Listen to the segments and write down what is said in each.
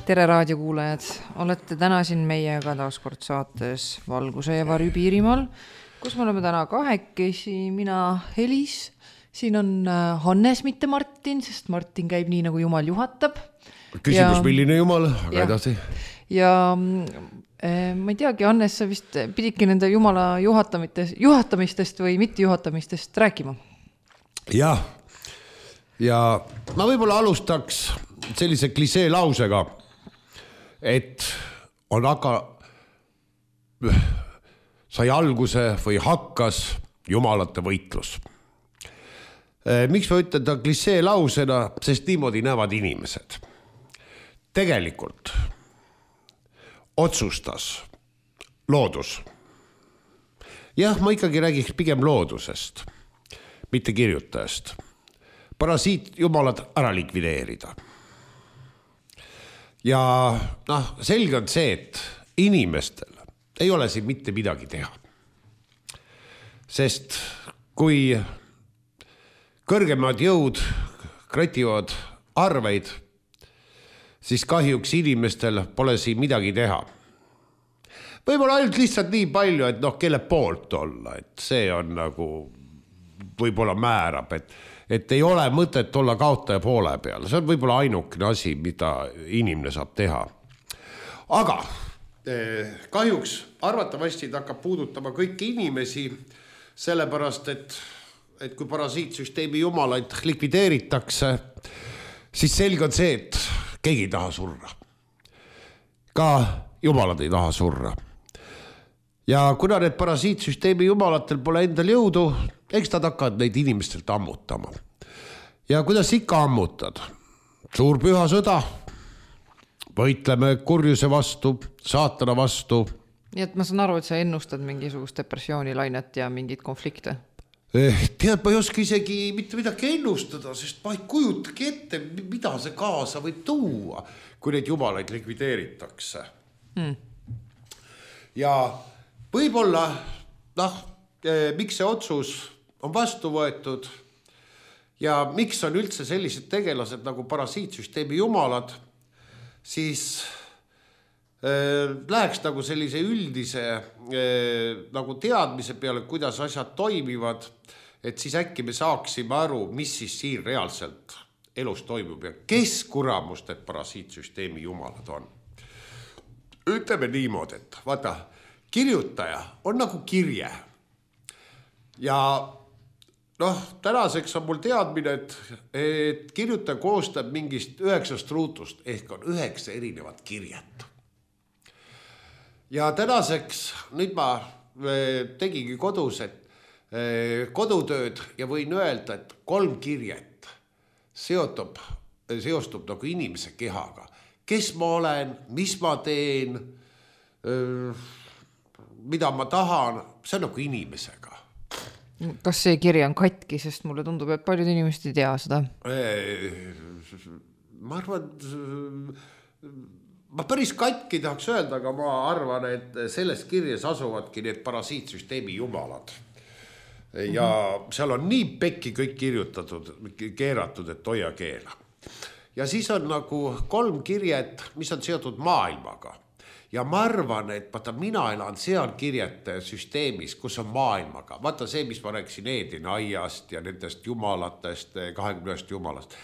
Tere raadiokuulajad, olete täna siin meiega taaskord saates Valguse ja Varju Piirimaal, kus me oleme täna kahekesi, mina Helis, siin on Hannes, mitte Martin, sest Martin käib nii, nagu Jumal juhatab. Küsimus, milline Jumal, aga edasi. Ja ma ei teagi, Hannes, sa vist pididki nende Jumala juhatamistest või mitte juhatamistest rääkima. Ja ma võib-olla alustaks sellise klisee lausega, et on sai alguse või hakkas jumalate võitlus. Miks ma ütlen ta klisee lausena, sest niimoodi näevad inimesed. Tegelikult otsustas loodus. Jah, ma ikkagi räägiks pigem loodusest, mitte kirjutajast. Parasiit jumalad ära likvideerida. Ja selge on see, et inimestel ei ole siin mitte midagi teha. Sest kui kõrgemad jõud krativad arveid, siis kahjuks inimestel pole siin midagi teha. Võib-olla ainult lihtsalt nii palju, et kelle poolt olla, et see on nagu võib-olla määrab, et ei ole mõtet olla kaotaja poole peal. See on võib-olla ainukene asi, mida inimene saab teha. Aga kahjuks arvatavasti ta hakkab puudutama kõiki inimesi, sellepärast, et kui parasiitsüsteemi jumalaid likvideeritakse, siis selge on see, et keegi ei taha surra. Ka jumalad ei taha surra. Ja kuna need parasiitsüsteemi jumalatel pole endal jõudu, eks nad hakkavad neid inimestelt ammutama. Ja kuidas ikka ammutad? Suur püha sõda, võitleme kurjuse vastu, saatana vastu. Nii et ma saan aru, et sa ennustad mingisugust depressioonilainet ja mingid konflikte. Tead, ma ei oska isegi mitte midagi ennustada, sest ma ei kujutagi ette, mida see kaasa võib tuua, kui neid jumalaid likvideeritakse. Ja võib-olla, miks see otsus on vastu võetud ja miks on üldse sellised tegelased nagu parasiitsüsteemi jumalad, siis läheks nagu sellise üldise nagu teadmise peale, kuidas asjad toimivad, et siis äkki me saaksime aru, mis siis siin reaalselt elus toimub ja kes kuramust need parasiitsüsteemi jumalad on. Ütleme niimoodi, et vaata, kirjutaja on nagu kirje. Ja tänaseks on mul teadmine, et kirjutaja koostab mingist 9 ruutust, ehk on 9 erinevat kirjet. Ja tänaseks nüüd ma tegigi kodus, kodutööd ja võin öelda, et 3 kirjet seostub nagu inimese kehaga. Kes ma olen, mis ma teen, mida ma tahan, see on nagu inimesega. Kas see kirja on katki, sest mulle tundub, et paljud inimesed ei tea seda? Ma arvan, ma päris katki tahaks öelda, aga ma arvan, et selles kirjas asuvadki need parasiitsüsteemi jumalad. Ja seal on nii pekki kõik kirjutatud, keeratud, et hoia keela. Ja siis on nagu 3 kirjet, mis on seotud maailmaga. Ja ma arvan, et mina elan seal kirjete süsteemis, kus on maailmaga. Vaata see, mis ma rääkisin Eedini aiast ja nendest jumalatest, 20 jumalast.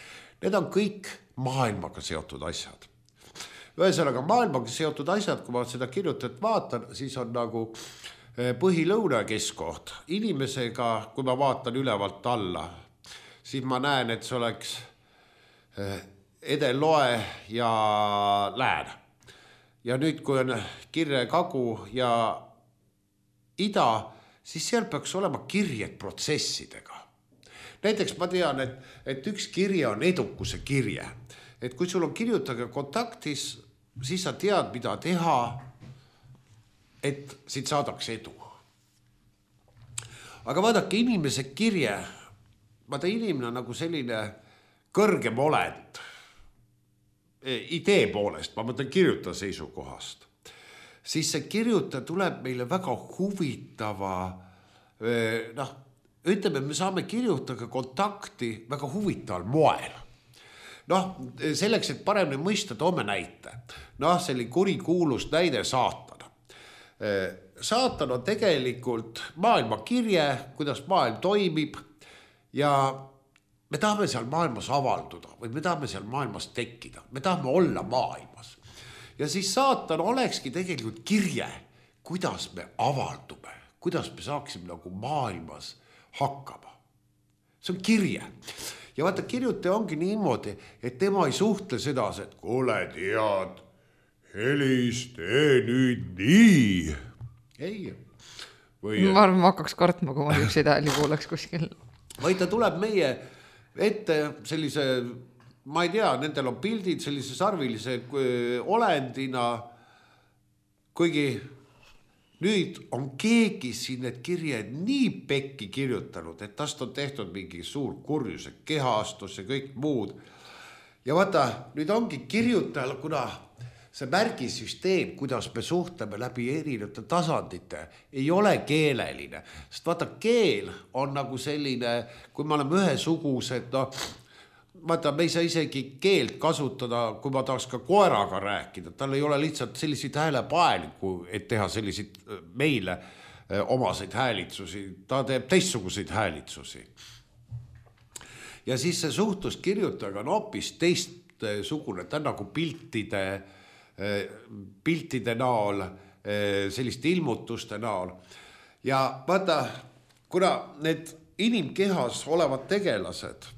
Need on kõik maailmaga seotud asjad. Ühesõnaga maailmaga seotud asjad, kui ma seda kirjutajat vaatan, siis on nagu põhilõuna keskoht. Inimesega, kui ma vaatan ülevalt alla, siis ma näen, et see oleks Edeloe ja Lään. Ja nüüd, kui on kirje Kagu ja Ida, siis seal peaks olema kirjed protsessidega. Näiteks ma tean, et üks kirje on edukuse kirje. Et kui sul on kirjutaja kontaktis, siis sa tead, mida teha, et siit saadaks edu. Aga vaadake, inimese kirje, inimene on nagu selline kõrgem olend. Idee poolest, ma mõtlen kirjutaja seisukohast, siis see kirjutaja tuleb meile väga huvitava, ütleme, me saame kirjutajaga kontakti väga huvitaval moel. noh, selleks, et paremini mõista, toome näite. Noh, selline kurikuulus näide saatana. Saatan on tegelikult maailma kirje, kuidas maailm toimib ja me tahame seal maailmas avalduda või me tahame seal maailmas tekkida. Me tahame olla maailmas. Ja siis saatan olekski tegelikult kirje, kuidas me avaldume, kuidas me saaksime nagu maailmas hakkama. See on kirje. Ja vaata, kirjutaja ongi niimoodi, et tema ei suhtle sedasi, et kuule, tead, Helis, tee nüüd nii. Ei. Ma arvan, ma hakkaks kartma, kui ma ükseid hääli kuuleks kuskil. Või ta tuleb meie ette sellise, ma ei tea, nendel on pildid sellise sarvilise olendina, kuigi nüüd on keegi siin need kirjed nii pekki kirjutanud, et tast on tehtud mingi suur kurjuse kehastus ja kõik muud. Ja vaata, nüüd ongi kirjutajal, kuna see märgisüsteem, kuidas me suhtleme läbi erinevate tasandite, ei ole keeleline. Sest vaata, keel on nagu selline, kui me oleme ühesugused, no, vaata, me ei saa isegi keelt kasutada, kui ma tahaks ka koeraga rääkida. Tal ei ole lihtsalt selliseid häälepaeliku, et teha selliseid meile omaseid häälitsusi. Ta teeb teistsuguseid häälitsusi. Ja siis see suhtlus kirjutajaga on hoopis teistsugune, ta on nagu piltide näol, selliste ilmutuste näol. Ja vaata, kuna need inimkehas olevad tegelased,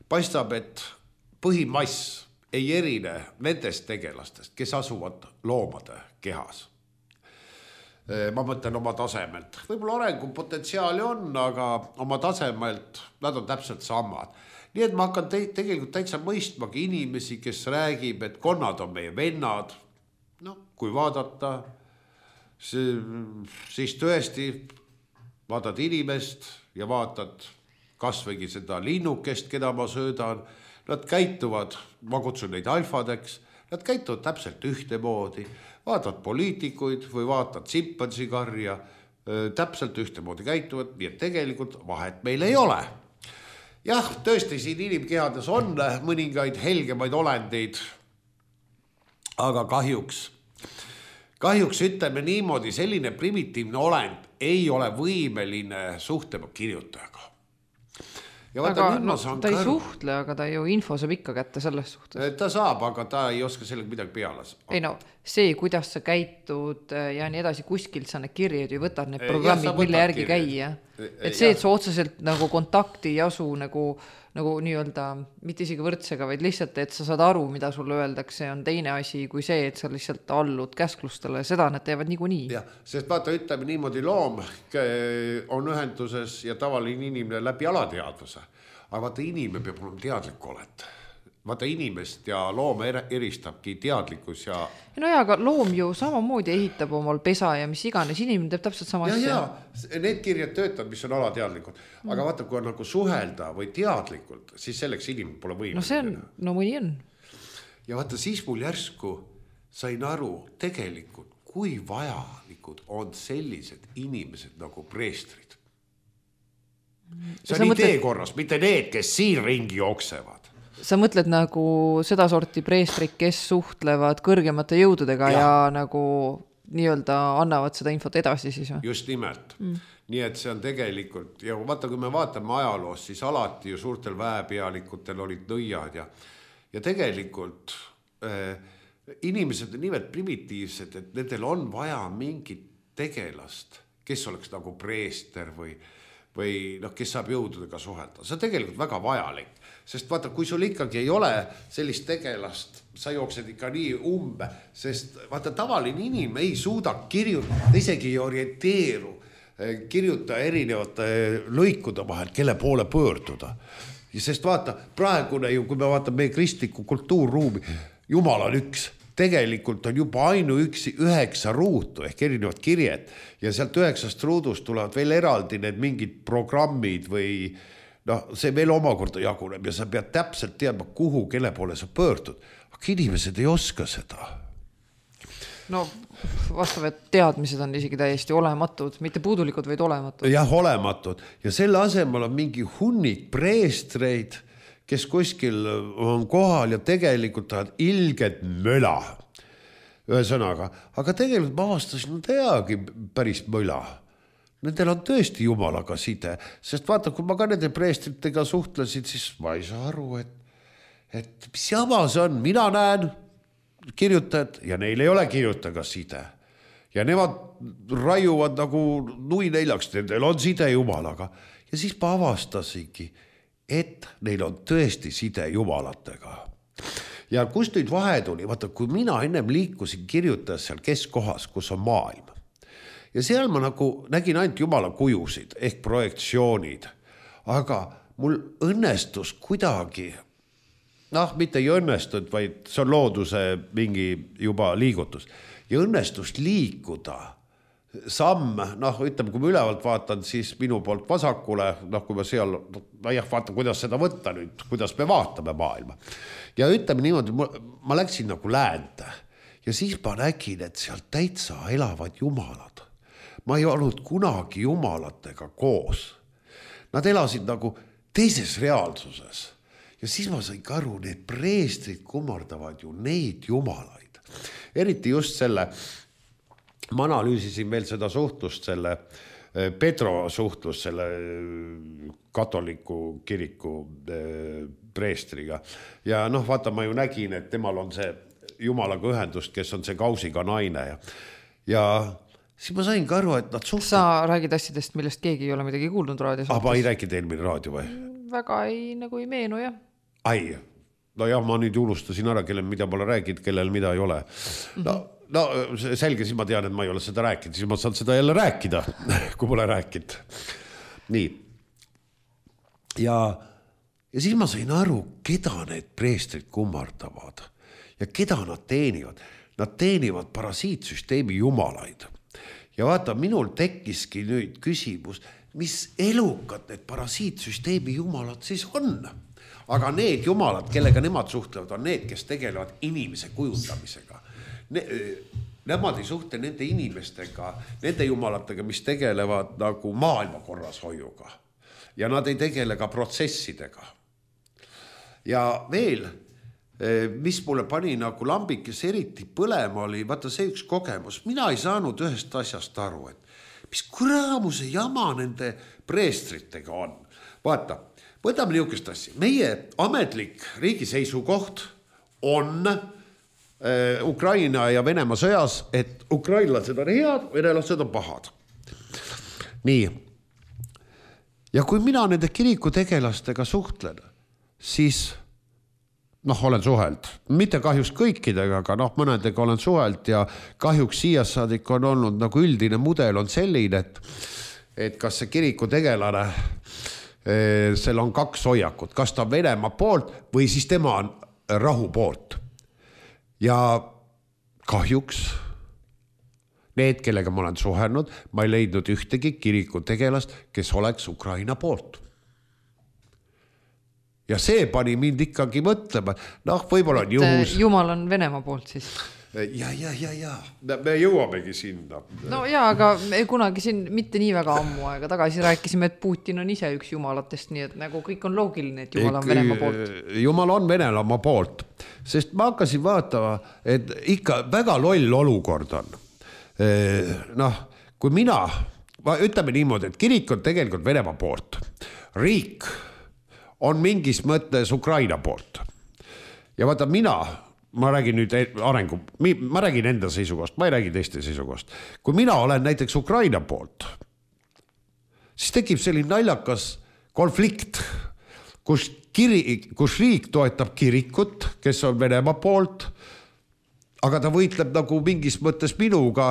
paistab, et põhimass ei erine nendest tegelastest, kes asuvad loomade kehas. Ma mõtlen oma tasemelt. Võib-olla arengupotentsiaali on, aga oma tasemelt nad on täpselt samad. Nii et ma hakkan tegelikult täitsa mõistmagi inimesi, kes räägib, et konnad on meie vennad. No, kui vaadata, siis tõesti vaatad inimest ja vaatad kasvõigi seda linnukest, keda ma söödan. Nad käituvad, ma kutsun neid alfadeks, nad käituvad täpselt ühtemoodi. Vaatad poliitikuid või vaatad simpansikarja, täpselt ühtemoodi käituvad, nii et tegelikult vahet meil ei ole. Jah, tõesti siin inimkehades on mõningaid helgemaid olendeid, aga kahjuks ütleme niimoodi, selline primitiivne olend ei ole võimeline suhtlema kirjutajaga. Ja vaata, aga ta ei suhtle, aga ta ju info saab ikka kätte selles suhtes. Ta saab, aga ta ei oska sellega midagi peale. Ei no, see, kuidas sa käitud ja nii edasi, kuskilt sa need kirjad ju võtad need programmid, mille järgi käia. Et see, et sa otseselt nagu kontakti ei asu nagu nii-öelda, mitte isegi võrdsega, vaid lihtsalt, et sa saad aru, mida sulle öeldakse, on teine asi kui see, et sa lihtsalt allud käsklustele, seda nad teevad niikuinii. Ja, sest vaata, ütleme niimoodi, loom on ühenduses ja tavaline inimene läbi alateadvuse. Aga vaata, inimene peab olema teadlik oled. Vaata, inimest ja looma eristabki teadlikkus ja... No ja, aga loom ju samamoodi ehitab omal pesa ja mis iganes, inimene teeb täpselt sama asja. Ja, need kirjad töötavad, mis on alateadlikud. Aga vaata, kui on nagu suhelda või teadlikult, siis selleks inimene pole võimeline. No see on, no mõni on. Ja vaata, siis mul järsku sain aru tegelikult, kui vajalikud on sellised inimesed nagu preestrid. See on idee korras, mitte need, kes siin ringi jooksevad. Sa mõtled nagu seda sorti preestrid, kes suhtlevad kõrgemate jõududega ja nagu nii-öelda annavad seda infot edasi siis või? Just nimelt. Nii et see on tegelikult, ja vaata, kui me vaatame ajaloos, siis alati ju suurtel väepealikutel olid nõiad ja tegelikult inimesed on nimelt primitiivsed, et nendel on vaja mingit tegelast, kes oleks nagu preester või kes saab jõududega suhelda. See on tegelikult väga vajalik, sest vaata, kui sul ikkagi ei ole sellist tegelast, sa jooksed ikka nii umbe, sest vaata, tavaline inimene ei suuda kirjutada, isegi ei orienteeru, kirjuta erinevate lõikude vahel, kelle poole pöörduda. Sest vaata, praegune ju, kui me vaatame meie kristliku kultuurruumi, Jumal on üks. Tegelikult on juba ainuüksi 9 ruutu ehk erinevad kirjed ja sealt 9 ruudust tulevad veel eraldi need mingid programmid või see veel omakorda jaguneb ja sa pead täpselt teadma, kuhu, kelle poole sa pöördud. Aga inimesed ei oska seda. No vastavad teadmised on isegi täiesti olematud, mitte puudulikud, vaid olematud. Jah, olematud. Ja selle asemel on mingi hunnik preestreid, kes kuskil on kohal ja tegelikult tahavad ilget möla. Ühesõnaga, aga tegelikult ma avastasin, nad ei ajagi päris möla. Nendel on tõesti jumalaga side, sest vaata, kui ma ka nende preestritega suhtlesin, siis ma ei saa aru, et mis jama see on, mina näen kirjutajad ja neil ei ole kirjutajaga side. Ja nemad raiuvad nagu nui neljaks, nendel on side jumalaga. Ja siis ma avastasingi, et neil on tõesti side jumalatega. Ja kust nüüd vahe tuli? Vaata, kui mina ennem liikusin kirjutajas seal keskkohas, kus on maailm. Ja seal ma nagu nägin ainult jumala kujusid ehk projektsioonid. Aga mul õnnestus kuidagi, mitte ei õnnestunud, vaid see on looduse mingi juba liigutus. Ja õnnestus liikuda samm, ütleme, kui ma ülevalt vaatan, siis minu poolt vasakule, kui ma seal, vaatan, kuidas seda võtta nüüd, kuidas me vaatame maailma. Ja ütleme niimoodi, ma läksin nagu läände ja siis ma nägin, et seal täitsa elavad jumalad. Ma ei olnud kunagi jumalatega koos. Nad elasid nagu teises reaalsuses. Ja siis ma sain aru, need preestrid kummardavad ju neid jumalaid. Eriti just selle, ma analüüsisin veel seda suhtlust, selle Pedro suhtlus selle katoliku kiriku preestriga. Ja vaata, ma ju nägin, et temal on see jumalaga ühendust, kes on see kausiga naine. Ja siis ma sain aru, et nad suhtlevad. Sa räägid asjadest, millest keegi ei ole midagi kuulnud raadios. Ma ei rääkinud eelmine raadio või? Väga ei meenu, jah. Ai, no jah, ma nüüd unustasin ära, kellel mida pole rääkinud, kellel mida ei ole. No selge, siis ma tean, et ma ei ole seda rääkinud, siis ma saan seda jälle rääkida, kui pole rääkinud. Nii. Ja siis ma sain aru, keda need preestrid kummardavad ja keda nad teenivad. Nad teenivad parasiitsüsteemi jumalaid. Ja vaata, minul tekkiski nüüd küsimus, mis elukad need parasiitsüsteemi jumalad siis on? Aga need jumalad, kellega nemad suhtlevad, on need, kes tegelevad inimese kujundamisega. Nemad ei suhtle nende inimestega, nende jumalatega, mis tegelevad nagu maailma korrashoiuga. Ja nad ei tegele ka protsessidega. Ja veel, mis mulle pani nagu lambikes eriti põlema oli, vaata see üks kogemus. Mina ei saanud ühest asjast aru, et mis kuramuse jama nende preestritega on. Vaata, võtame niisugust asja. Meie ametlik riigi seisukoht on Ukraina ja Venemaa sõjas, et ukrainlased on head, venelased on pahad. Nii. Ja kui mina nende kiriku tegelastega suhtlen, siis olen suhelt. Mitte kahjuks kõikidega, aga mõnedega olen suhelt ja kahjuks siiasaadik on olnud nagu üldine mudel on selline, et kas see kiriku tegelane seal on kaks hoiakut, kas ta on Venemaa poolt või siis tema on rahu poolt. Ja kahjuks need, kellega ma olen suhelnud, ma ei leidnud ühtegi kiriku tegelast, kes oleks Ukraina poolt. Ja see pani mind ikkagi mõtlema, võib-olla on juhus. Jumal on Venemaa poolt siis. Ja. Me jõuamegi sinna. No jaa, aga me kunagi siin mitte nii väga ammu aega tagasi rääkisime, et Putin on ise üks jumalatest, nii et nagu kõik on loogiline, et Jumal on Venemaa poolt. Jumal on Venemaa poolt, sest ma hakkasin vaatama, et ikka väga loll olukord on. Kui mina, ütleme niimoodi, et kirik on tegelikult Venemaa poolt. Riik on mingis mõttes Ukraina poolt. Ja vaata, ma räägin nüüd arengu, ma räägin enda seisukohast, ma ei räägi teiste seisukohast. Kui mina olen näiteks Ukraina poolt, siis tekib selline naljakas konflikt, kus riik toetab kirikut, kes on Venemaa poolt, aga ta võitleb nagu mingis mõttes minuga,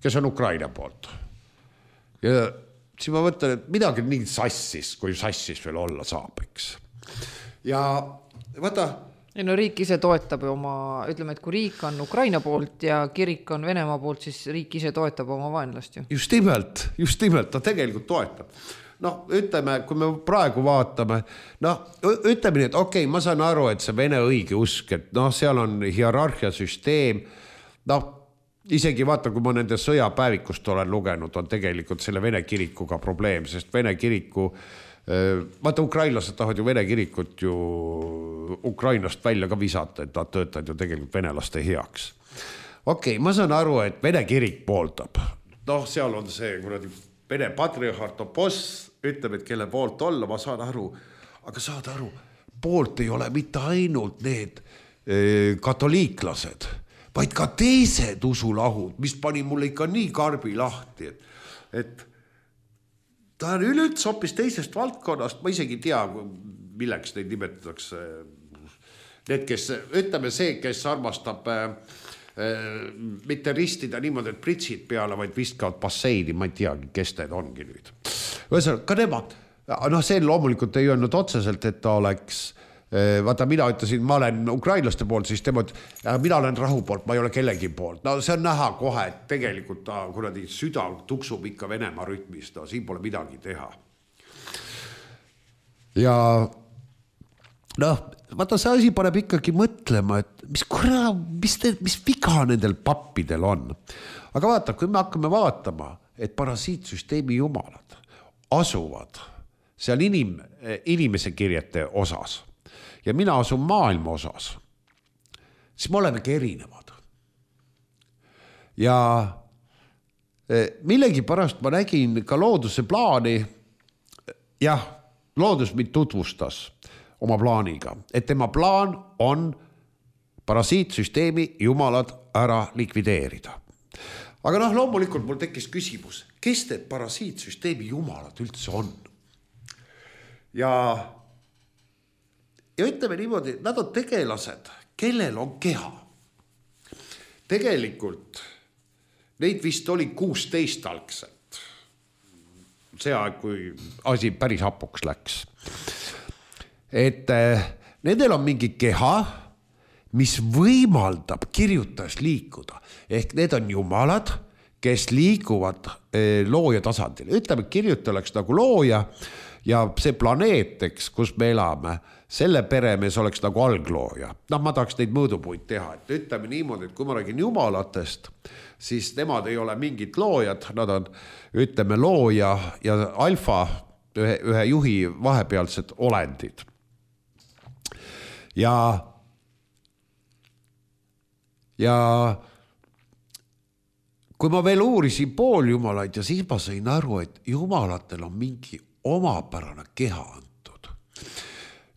kes on Ukraina poolt. Ja siis ma mõtlen, et midagi nii sassis, kui sassis veel olla saab, eks. Ja vaata, riik ise toetab oma, ütleme, et kui riik on Ukraina poolt ja kirik on Venemaa poolt, siis riik ise toetab oma vaenlast ju. Just nimelt, ta tegelikult toetab. Ütleme, kui me praegu vaatame, ütleme nii, et okei, ma saan aru, et see Vene õige usk, et seal on hierarhia süsteem, isegi vaata, kui ma nende sõjapäevikust olen lugenud, on tegelikult selle Vene kirikuga probleem, sest Vene kiriku Vaata, ukrainlased tahavad ju Vene kirikut ju Ukrainast välja ka visata, et nad töötavad ju tegelikult venelaste heaks. Okei, ma saan aru, et Vene kirik pooldab. Noh, seal on see kuradi Vene patriarhat Oposs, ütleb, et kelle poolt olla, ma saan aru. Aga saad aru, poolt ei ole mitte ainult need katoliiklased, vaid ka teised usulahud, mis pani mulle ikka nii karbi lahti, et ta on üleüldse hoopis teisest valdkonnast, ma isegi tea, milleks neid nimetatakse. Need, kes, ütleme see, kes armastab mitte ristida niimoodi, et pritsid peale, vaid viskavad basseini, ma ei teagi, kes need ongi nüüd. Ühesõnaga, ka nemad, see loomulikult ei öelnud otseselt, et ta oleks, vaata, mina ütlesin, ma olen ukrainlaste poolt, siis tema, mina olen rahu poolt, ma ei ole kellegi poolt. No see on näha kohe, et tegelikult ta kuradi süda tuksub ikka Venemaa rütmis, siin pole midagi teha. Ja vaata, see asi paneb ikkagi mõtlema, et mis viga nendel pappidel on. Aga vaata, kui me hakkame vaatama, et parasiitsüsteemi jumalad asuvad seal inimese kirjete osas, ja mina asun maailma osas, siis me olemegi erinevad. Ja millegi pärast ma nägin ka looduse plaani, jah, loodus mind tutvustas oma plaaniga, et tema plaan on parasiitsüsteemi jumalad ära likvideerida. Aga loomulikult mul tekkis küsimus, kes need parasiitsüsteemi jumalad üldse on? Ja ütleme niimoodi, nad on tegelased, kellel on keha. Tegelikult neid vist oli 16 algselt. See aeg, kui asi päris hapuks läks. Et nendel on mingi keha, mis võimaldab kirjutas liikuda. Ehk need on jumalad, kes liiguvad looja tasandil. Ütleme, kirjuta oleks nagu looja ja see planeeteks, kus me elame, selle peremees oleks nagu alglooja. Ma tahaks neid mõõdupuid teha. Et ütleme niimoodi, et kui ma räägin jumalatest, siis nemad ei ole mingid loojad, nad on, ütleme, looja ja alfa, ühe juhi vahepealsed olendid. Ja kui ma veel uurisin pooljumalaid ja siis ma sain aru, et jumalatel on mingi omapärane keha antud.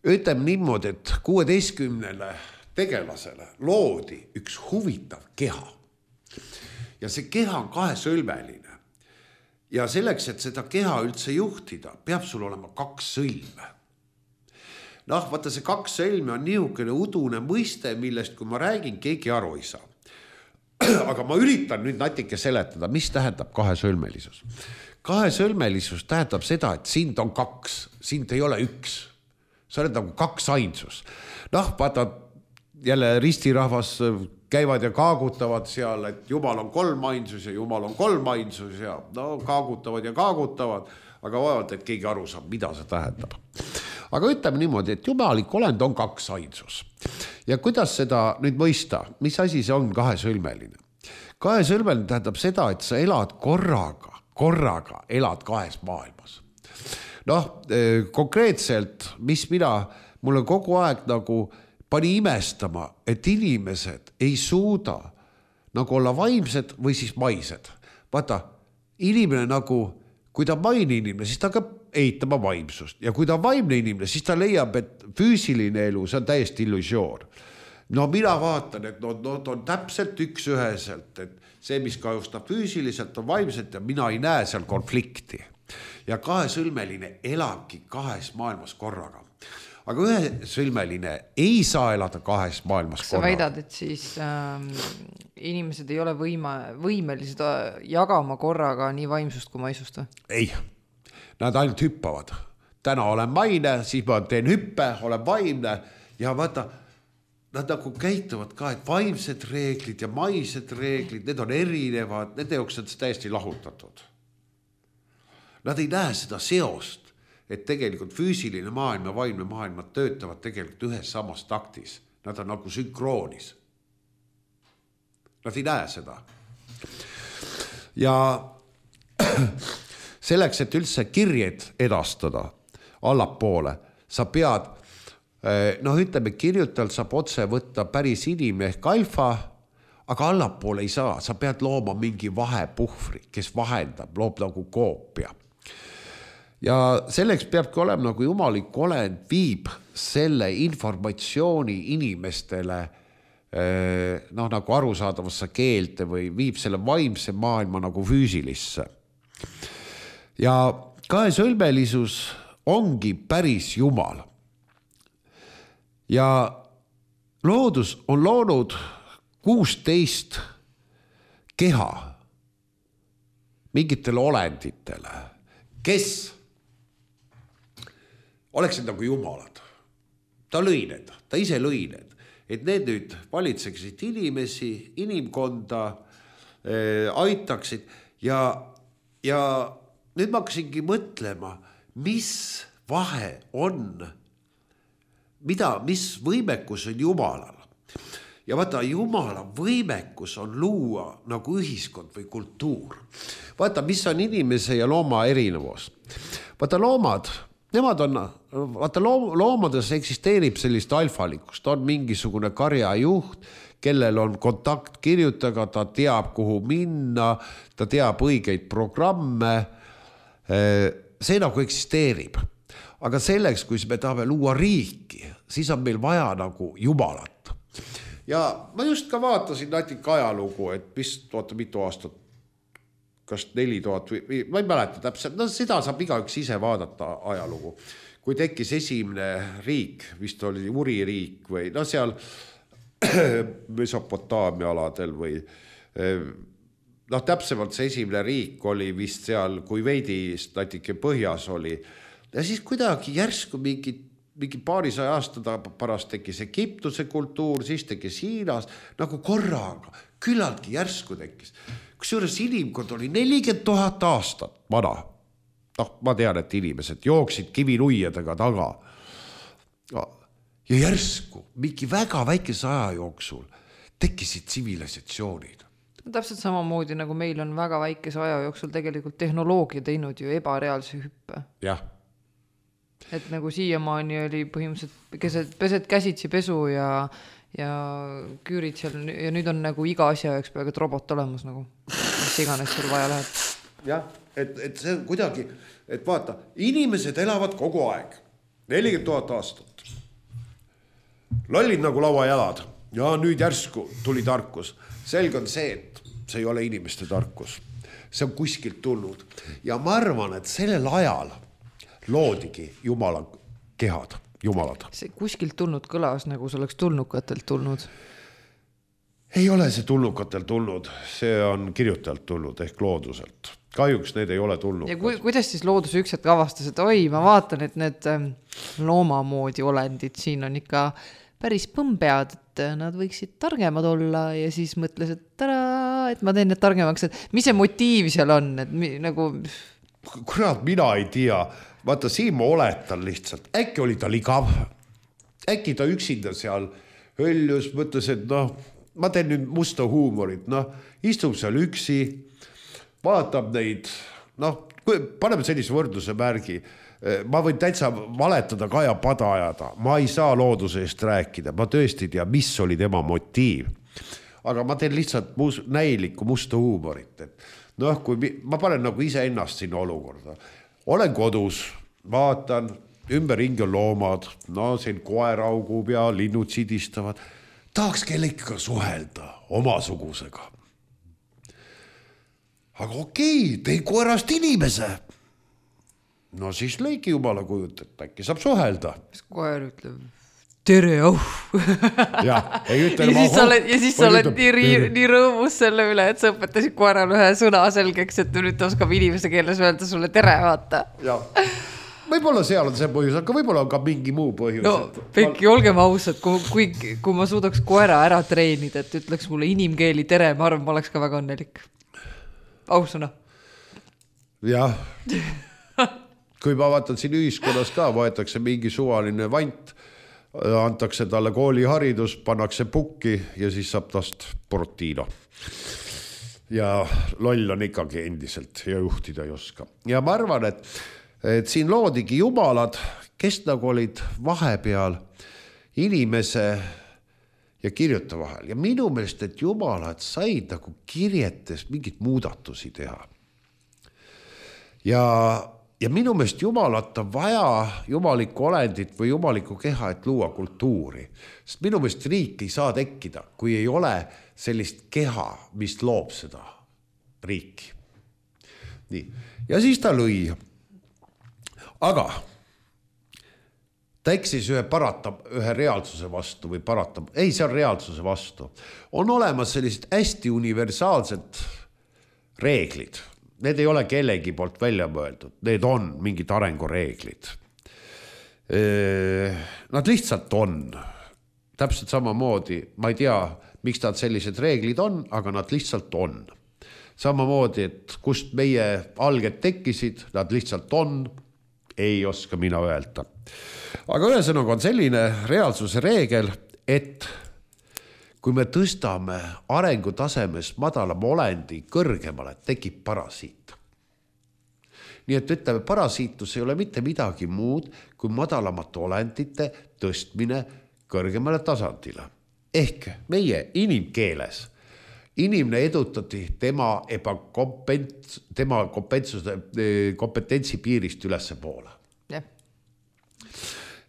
Ütleme niimoodi, et 16 tegelasele loodi üks huvitav keha. Ja see keha on kahesõlmeline. Ja selleks, et seda keha üldse juhtida, peab sul olema 2 sõlme. Vaata, see 2 sõlme on niisugune udune mõiste, millest kui ma räägin, keegi aru ei saa. Aga ma üritan nüüd natuke seletada, mis tähendab kahesõlmelisus. Kahesõlmelisus tähendab seda, et sind on 2, sind ei ole 1. Sa oled nagu 2 ainsus. Vaata, jälle ristirahvas käivad ja kaagutavad seal, et Jumal on 3 ainsus ja Jumal on 3 ainsus ja kaagutavad ja kaagutavad, aga vaevalt, et keegi aru saab, mida see tähendab. Aga ütleme niimoodi, et jumalik olend on 2 ainsus. Ja kuidas seda nüüd mõista? Mis asi see on kahesõlmeline? Kahesõlmeline tähendab seda, et sa elad korraga elad 2 maailmas. Konkreetselt, mis mulle kogu aeg nagu pani imestama, et inimesed ei suuda nagu olla vaimsed või siis maised. Vaata, inimene nagu, kui ta on maine inimene, siis ta hakkab eitama vaimsust. Ja kui ta on vaimne inimene, siis ta leiab, et füüsiline elu, see on täiesti illusioon. Mina vaatan, et nad on täpselt üksüheselt, et see, mis kahjustab füüsiliselt, on vaimselt ja mina ei näe seal konflikti. Ja kahesõlmeline elabki 2 maailmas korraga. Aga ühesõlmeline ei saa elada 2 maailmas korraga. Sa väidad, et siis inimesed ei ole võimelised jagama korraga nii vaimsust kui maisust? Ei, nad ainult hüppavad. Täna olen maine, siis ma teen hüppe, olen vaimne ja vaata, nad nagu käituvad ka, et vaimsed reeglid ja maised reeglid, need on erinevad, nende jaoks on täiesti lahutatud. Nad ei näe seda seost, et tegelikult füüsiline maailm ja vaimne maailm töötavad tegelikult ühes samas taktis. Nad on nagu sünkroonis. Nad ei näe seda. Ja selleks, et üldse kirjed edastada, allapoole. Sa pead, ütleme, kirjutajalt saab otse võtta päris inimene ehk alfa, aga allapoole ei saa. Sa pead looma mingi vahepuhvri, kes vahendab, loob nagu koopia. Ja selleks peabki olema nagu jumalik olend, viib selle informatsiooni inimestele nagu arusaadavasse keelte või viib selle vaimse maailma nagu füüsilisse. Ja kaesõlmelisus ongi päris Jumal. Ja loodus on loonud 16 keha mingitele olenditele, kes oleksid nagu jumalad. Ta lõi need, ta ise lõi need, et need nüüd valitseksid inimesi, inimkonda, aitaksid ja nüüd ma hakkasingi mõtlema, mis vahe on, mis võimekus on Jumalal. Ja vaata, Jumala võimekus on luua nagu ühiskond või kultuur. Vaata, mis on inimese ja looma erinevus. Vaata, loomades eksisteerib sellist alfalikkust, on mingisugune karjajuht, kellel on kontakt kirjutaga, ta teab, kuhu minna, ta teab õigeid programme, see nagu eksisteerib. Aga selleks, kui me tahame luua riiki, siis on meil vaja nagu Jumalat. Ja ma just ka vaatasin natuke ajalugu, et mitu aastat, kas 4000 või ma ei mäleta täpselt, seda saab igaüks ise vaadata ajalugu. Kui tekkis esimene riik, vist oli Uri riik või seal Mesopotaamia aladel või täpsemalt see esimene riik oli vist seal, kui veidi natuke põhjas oli. Ja siis kuidagi järsku mingi paarisaja aasta pärast tekkis Egiptuse kultuur, siis tekkis Hiinas, nagu korraga, küllaltki järsku tekkis. Kusjuures inimkond oli 40 000 aastat vana. Ma tean, et inimesed jooksid kivinuiadega taga. Ja järsku, mingi väga väikese aja jooksul tekkisid tsivilisatsioonid. Täpselt samamoodi, nagu meil on väga väikese aja jooksul tegelikult tehnoloogia teinud ju ebareaalse hüppe. Jah. Et nagu siiamaani oli põhimõtteliselt pesed käsitsi pesu ja küürid seal ja nüüd on nagu iga asja jaoks peaaegu robot olemas nagu, mis iganes sul vaja läheb. Jah, et see on kuidagi, et vaata, inimesed elavad kogu aeg, 40 000 aastat. Lollid nagu lauajalad ja nüüd järsku tuli tarkus. Selge on see, et see ei ole inimeste tarkus. See on kuskilt tulnud ja ma arvan, et sellel ajal loodigi Jumala kehad, jumalad. See kuskilt tulnud kõlas, nagu see oleks tulnukatelt tulnud. Ei ole see tulnukatelt tulnud, see on kirjutajalt tulnud ehk looduselt. Kahjuks need ei ole tulnud. Ja kuidas siis loodus üks hetk avastas, et oi, ma vaatan, et need loomamoodi olendid siin on ikka päris põmpead, et nad võiksid targemad olla ja siis mõtles, et ma teen need targemaks, et mis see motiiv seal on, et nagu... Kurat, mina ei tea. Vaata, siin ma oletan lihtsalt. Äkki oli ta ligav. Äkki ta üksinda seal höljus, mõtles, et ma teen nüüd musta huumorit. Istub seal üksi, vaatab neid, paneme sellise võrdluse märgi. Ma võin täitsa valetada, Kaja pada ajada. Ma ei saa looduse eest rääkida. Ma tõesti ei tea, mis oli tema motiiv. Aga ma teen lihtsalt näilikku musta huumorit. Kui ma panen nagu ise ennast sinna olukorda. Olen kodus, vaatan, ümberringi on loomad, siin koer augub ja linnud sidistavad. Tahaks kellega suhelda omasugusega. Aga okei, tei koerast inimese. Siis lõigi Jumala kujut, et äkki saab suhelda. Koer ütleb, tere, ja siis sa oled nii rõõmus selle üle, et sa õpetasid koeral ühe sõna selgeks, et nüüd oskab inimese keeles öelda sulle tere, vaata. Ja. Võib-olla seal on see põhjus, aga võib-olla on ka mingi muu põhjus. Pekki, olgem ausad, kui ma suudaks koera ära treenida, et ütleks mulle inimkeeli tere, ma arvan, ma oleks ka väga õnnelik. Ausõna. Jah. Kui ma vaatan siin ühiskonnas ka, võetakse mingi suvaline vant, antakse talle kooliharidus, pannakse pukki ja siis saab tast Portino. Ja loll on ikkagi endiselt ja juhtida ei oska. Ja ma arvan, et et siin loodigi jumalad, kes nagu olid vahepeal inimese ja kirjuta vahel. Ja minu meelest, et jumalad said nagu kirjetes mingit muudatusi teha. Ja minu meelest jumalat on vaja, jumalikku olendit või jumalikku keha, et luua kultuuri. Sest minu meelest riik ei saa tekkida, kui ei ole sellist keha, mis loob seda riiki. Nii. Ja siis ta lõi. Aga ta eksis ühe reaalsuse vastu või ei, see on reaalsuse vastu. On olemas sellised hästi universaalsed reeglid. Need ei ole kellegi poolt välja mõeldud. Need on mingid arengureeglid. Nad lihtsalt on. Täpselt samamoodi, ma ei tea, miks nad sellised reeglid on, aga nad lihtsalt on. Samamoodi, et kust meie alged tekkisid, nad lihtsalt on, ei oska mina öelda. Aga ühesõnaga on selline reaalsuse reegel, et kui me tõstame arengutasemes madalama olendi kõrgemale, tekib parasiit. Nii et ütleme, parasiitus ei ole mitte midagi muud kui madalamate olendite tõstmine kõrgemale tasandile. Ehk meie inimkeeles inimene edutati tema kompetentsi piirist ülesse poole.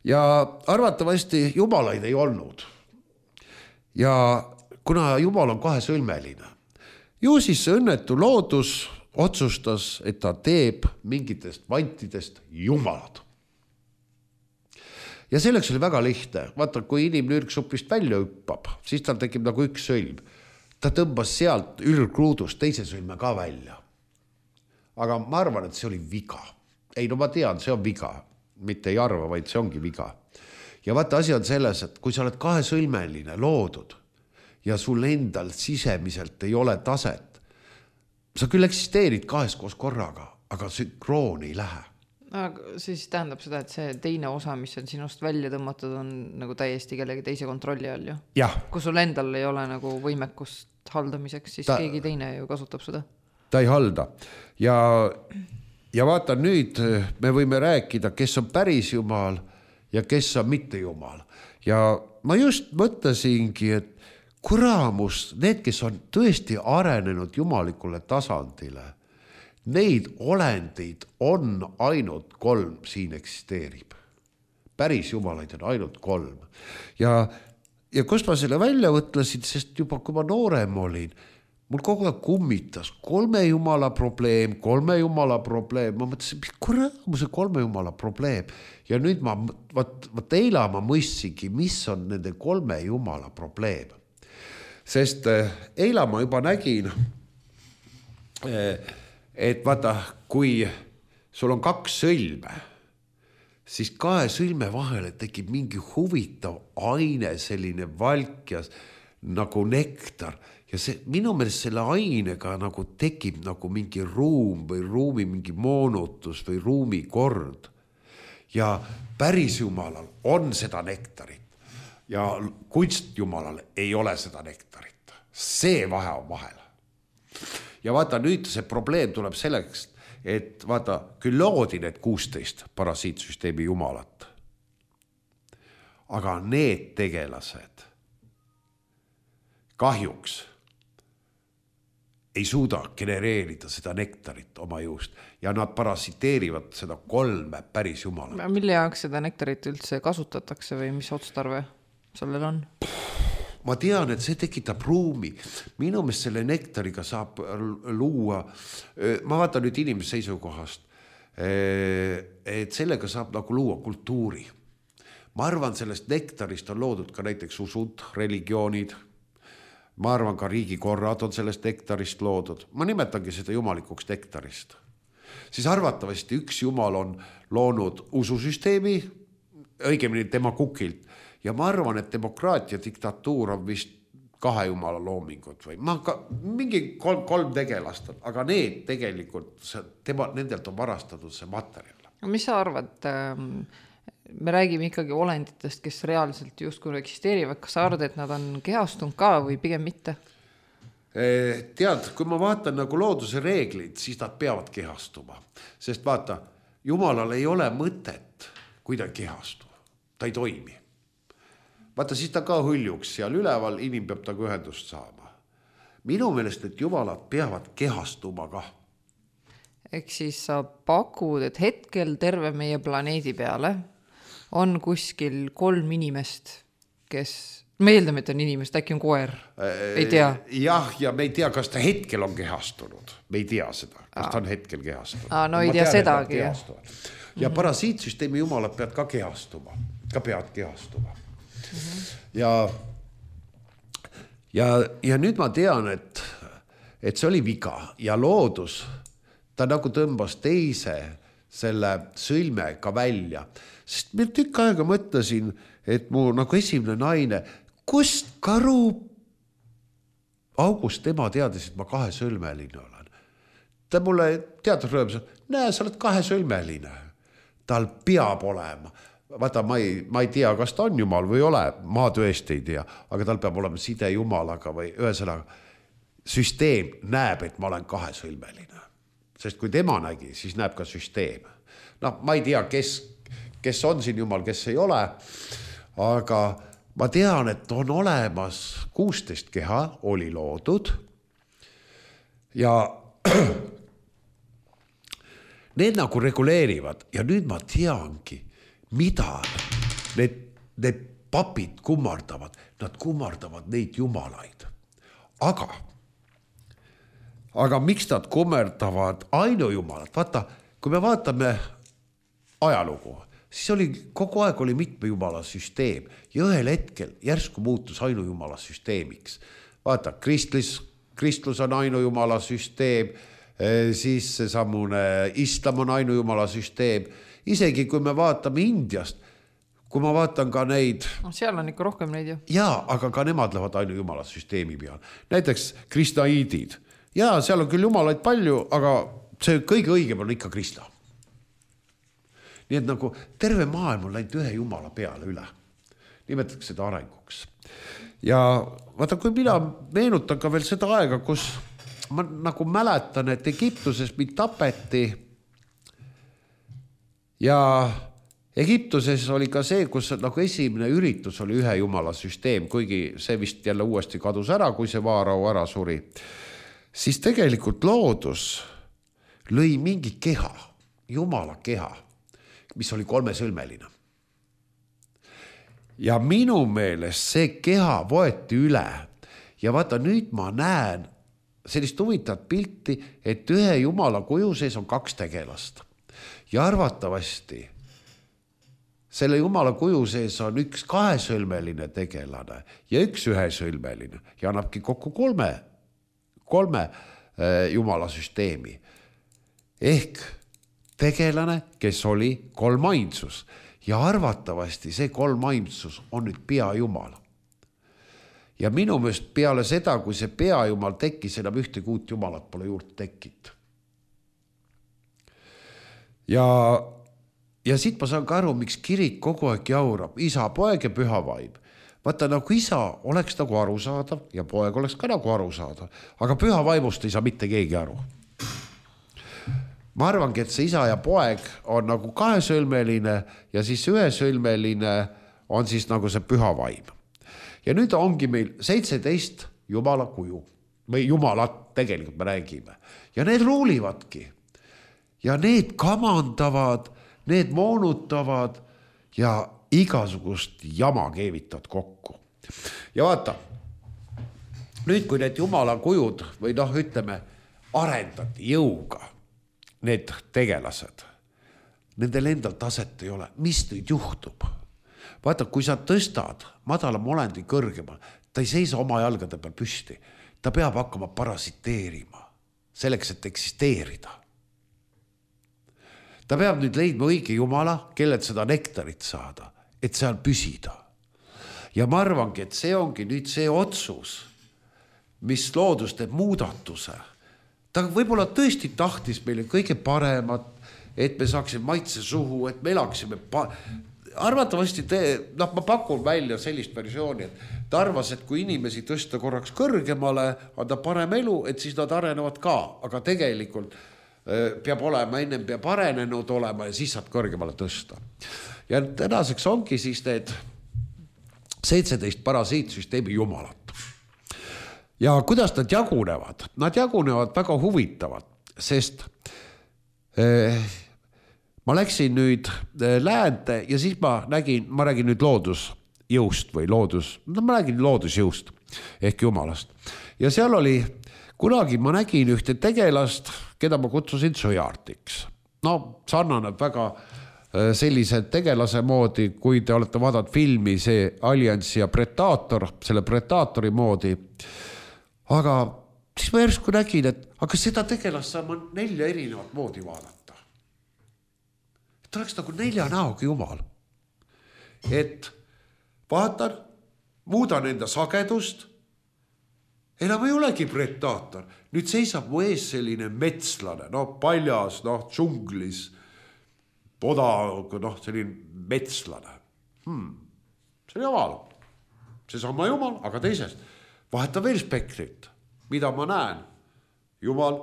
Ja arvatavasti jumalaid ei olnud. Ja kuna jumal on kahesõlmeline, ju siis see õnnetu loodus otsustas, et ta teeb mingitest vantidest jumalad. Ja selleks oli väga lihtne. Vaata, kui inimene ürgsupist välja hüppab, siis tal tekib nagu üks sõlm. Ta tõmbas sealt ürgruudust teise sõlme ka välja. Aga ma arvan, et see oli viga. Ei, no ma tean, see on viga. Mitte ei arva, vaid see ongi viga. Ja vaata, asi on selles, et kui sa oled kahesõlmeline loodud ja sul endal sisemiselt ei ole taset, sa küll eksisteerid kahes koos korraga, aga sünkroon ei lähe. Aga siis tähendab seda, et see teine osa, mis on sinust välja tõmmatud, on nagu täiesti kellegi teise kontrolli all ju. Jah. Kui sul endal ei ole nagu võimekust haldamiseks, siis keegi teine ju kasutab seda. Ta ei halda. Ja vaata nüüd, me võime rääkida, kes on päris jumal ja kes on mitte jumal. Ja ma just mõtlesingi, et kuramus, need, kes on tõesti arenenud jumalikule tasandile, neid olendeid on ainult 3 siin eksisteerib. Päris jumalaid on ainult 3. Ja kust ma selle välja võtlesin, sest juba kui ma noorem olin, mul kogu aeg kummitas 3 jumala probleem. Ma mõtlesin, mis kuramuse 3 jumala probleem. Ja nüüd eila ma mõistsingi, mis on nende 3 jumala probleem. Sest eila ma juba nägin, et vaata, kui sul on 2 sõlme, siis 2 sõlme vahele tekib mingi huvitav aine, selline valkjas nagu nektar. Ja minu meelest selle ainega nagu tekib nagu mingi ruum või ruumi mingi moonutus või ruumi kord. Ja päris jumalal on seda nektarit ja kunstjumalal ei ole seda nektarit. See vahe on vahel. Ja vaata, nüüd see probleem tuleb selleks, et vaata, küll loodi need 16 parasiitsüsteemi jumalat. Aga need tegelased kahjuks ei suuda genereerida seda nektarit oma juust ja nad parasiteerivad seda 3 päris jumala. Mille jaoks seda nektarit üldse kasutatakse või mis otstarve sellel on? Ma tean, et see tekitab ruumi. Minu meelest selle nektariga saab luua, ma vaatan nüüd inimese seisukohast, et sellega saab nagu luua kultuuri. Ma arvan, sellest nektarist on loodud ka näiteks usud, religioonid. Ma arvan, ka riigikorrad on sellest nektarist loodud. Ma nimetangi seda jumalikuks nektarist. Siis arvatavasti üks jumal on loonud ususüsteemi, õigemini tema kukilt. Ja ma arvan, et demokraatia diktatuur on vist 2 jumala loomingud või mingi 3 tegelast, aga need tegelikult, nendelt on varastatud see materjal. Mis sa arvad, me räägime ikkagi olenditest, kes reaalselt justkui eksisteerivad, kas sa arvad, et nad on kehastunud ka või pigem mitte? Tead, kui ma vaatan nagu looduse reeglid, siis nad peavad kehastuma, sest vaata, Jumalal ei ole mõtet, kui ta kehastu. Ta ei toimi. Vaata, siis ta ka hõljuks seal üleval, inim peab taga ühendust saama. Minu meelest, et jumalad peavad kehastuma ka. Ehk siis sa pakud, et hetkel terve meie planeedi peale on kuskil 3 inimest, kes, me eeldame, et on inimest, äkki on koer, ei tea. Jah, ja me ei tea, kas ta hetkel on kehastunud. Me ei tea seda, kas ta on hetkel kehastunud. No ei tea sedagi. Ja parasiitsüsteemi jumalad peavad ka kehastuma. Ja nüüd ma tean, et see oli viga ja loodus, ta nagu tõmbas teise selle sõlme ka välja. Sest ma tükk aega mõtlesin, et mu nagu esimene naine, kust karu august tema teadis, et ma 2-sõlmeline olen. Ta mulle teatud rõõmus, näe, sa oled 2-sõlmeline. Tal peab olema. Vaata, ma ei tea, kas ta on jumal või ei ole, ma tõesti ei tea, aga tal peab olema side jumalaga või ühesõnaga süsteem näeb, et ma olen 2-sõlmeline. Sest kui tema nägi, siis näeb ka süsteem. No, ma ei tea, kes on siin jumal, kes ei ole, aga ma tean, et on olemas 16 keha, oli loodud ja need nagu reguleerivad ja nüüd ma teangi, mida need papid kummardavad. Nad kummardavad neid jumalaid. Aga miks nad kummardavad ainujumalat? Vaata, kui me vaatame ajalugu, siis oli kogu aeg oli mitme jumala süsteem ja ühel hetkel järsku muutus ainujumala süsteemiks. Vaata, kristlus on ainujumala süsteem, siis seesamune islam on ainujumala süsteem. Isegi kui me vaatame Indiast, kui ma vaatan ka neid... No, seal on ikka rohkem neid ju. Jaa, aga ka nemad lähevad ainujumala süsteemi peal. Näiteks kristaiidid. Jaa, seal on küll jumalaid palju, aga see kõige õigem on ikka kristla. Nii et nagu terve maailm on läinud ühe jumala peale üle. Nimetatakse seda arenguks. Ja vaata, kui mina meenutan ka veel seda aega, kus ma nagu mäletan, et Egiptuses mind tapeti ja Egiptuses oli ka see, kus nagu esimene üritus oli ühe jumala süsteem, kuigi see vist jälle uuesti kadus ära, kui see vaarau ära suri. Siis tegelikult loodus lõi mingi keha, jumala keha, mis oli 3-sõlmeline. Ja minu meelest see keha võeti üle ja vaata nüüd ma näen sellist huvitavat pilti, et ühe jumala kuju sees on 2 tegelast. Ja arvatavasti selle jumala kuju sees on 1 2-sõlmeline tegelane ja 1 1-sõlmeline ja annabki kokku 3 jumala süsteemi. Ehk tegelane, kes oli 3 ainsus ja arvatavasti see 3 ainsus on nüüd peajumal. Ja minu meelest peale seda, kui see peajumal tekkis, enam ühtegi uut jumalat pole juurde tekkinud. Ja siit ma saan ka aru, miks kirik kogu aeg jaurab, isa, poeg ja püha vaim. Vaata, nagu isa oleks nagu arusaadav ja poeg oleks ka nagu arusaadav, aga püha vaimust ei saa mitte keegi aru. Ma arvangi, et see isa ja poeg on nagu 2-sõlmeline ja siis 1-sõlmeline on siis nagu see püha vaim. Ja nüüd ongi meil 17 jumala kuju või jumalat tegelikult me räägime ja need ruulivadki ja need kamandavad, need moonutavad ja igasugust jama keevitavad kokku. Ja vaata, nüüd kui need jumala kujud või ütleme, arendati jõuga, need tegelased, nendel endal taset ei ole, mis nüüd juhtub? Vaata, kui sa tõstad madalam olendi kõrgema, ta ei seisa oma jalgade peal püsti, ta peab hakkama parasiteerima, selleks, et eksisteerida. Ta peab nüüd leidma õige jumala, kellelt seda nektarit saada, et seal püsida. Ja ma arvangi, et see ongi nüüd see otsus, mis loodus teeb muudatuse. Ta võib-olla tõesti tahtis meile kõige paremat, et me saaksime maitse suhu, et me elaksime... Arvatavasti ma pakun välja sellist versiooni, et ta arvas, et kui inimesi tõsta korraks kõrgemale, anda parem elu, et siis nad arenevad ka, aga tegelikult peab olema, ennem peab arenenud olema ja siis saab kõrgemale tõsta. Ja tänaseks ongi siis need 17 parasiitsüsteemi jumalat. Ja kuidas nad jagunevad? Nad jagunevad väga huvitavad, sest ma läksin nüüd läände ja siis ma räägin nüüd loodusjõust või ma räägin loodusjõust ehk jumalast. Ja seal oli, kunagi ma nägin ühte tegelast, keda ma kutsusin sõjartiks. No sarnaneb väga sellise tegelase moodi, kui te olete vaadanud filmi see Allianz ja Predator, selle Predatori moodi. Aga siis ma järsku nägin, et aga seda tegelast saab 4 erinevat moodi vaadata. Et oleks nagu 4 näoga jumal. Et vaatan, muudan enda sagedust, enam ei olegi Predator. Nüüd seisab mu ees selline metslane, paljas, džunglis, poda, selline metslane. See on jumal. See sama jumal, aga teisest. Vaheta veel spektrit, mida ma näen. Jumal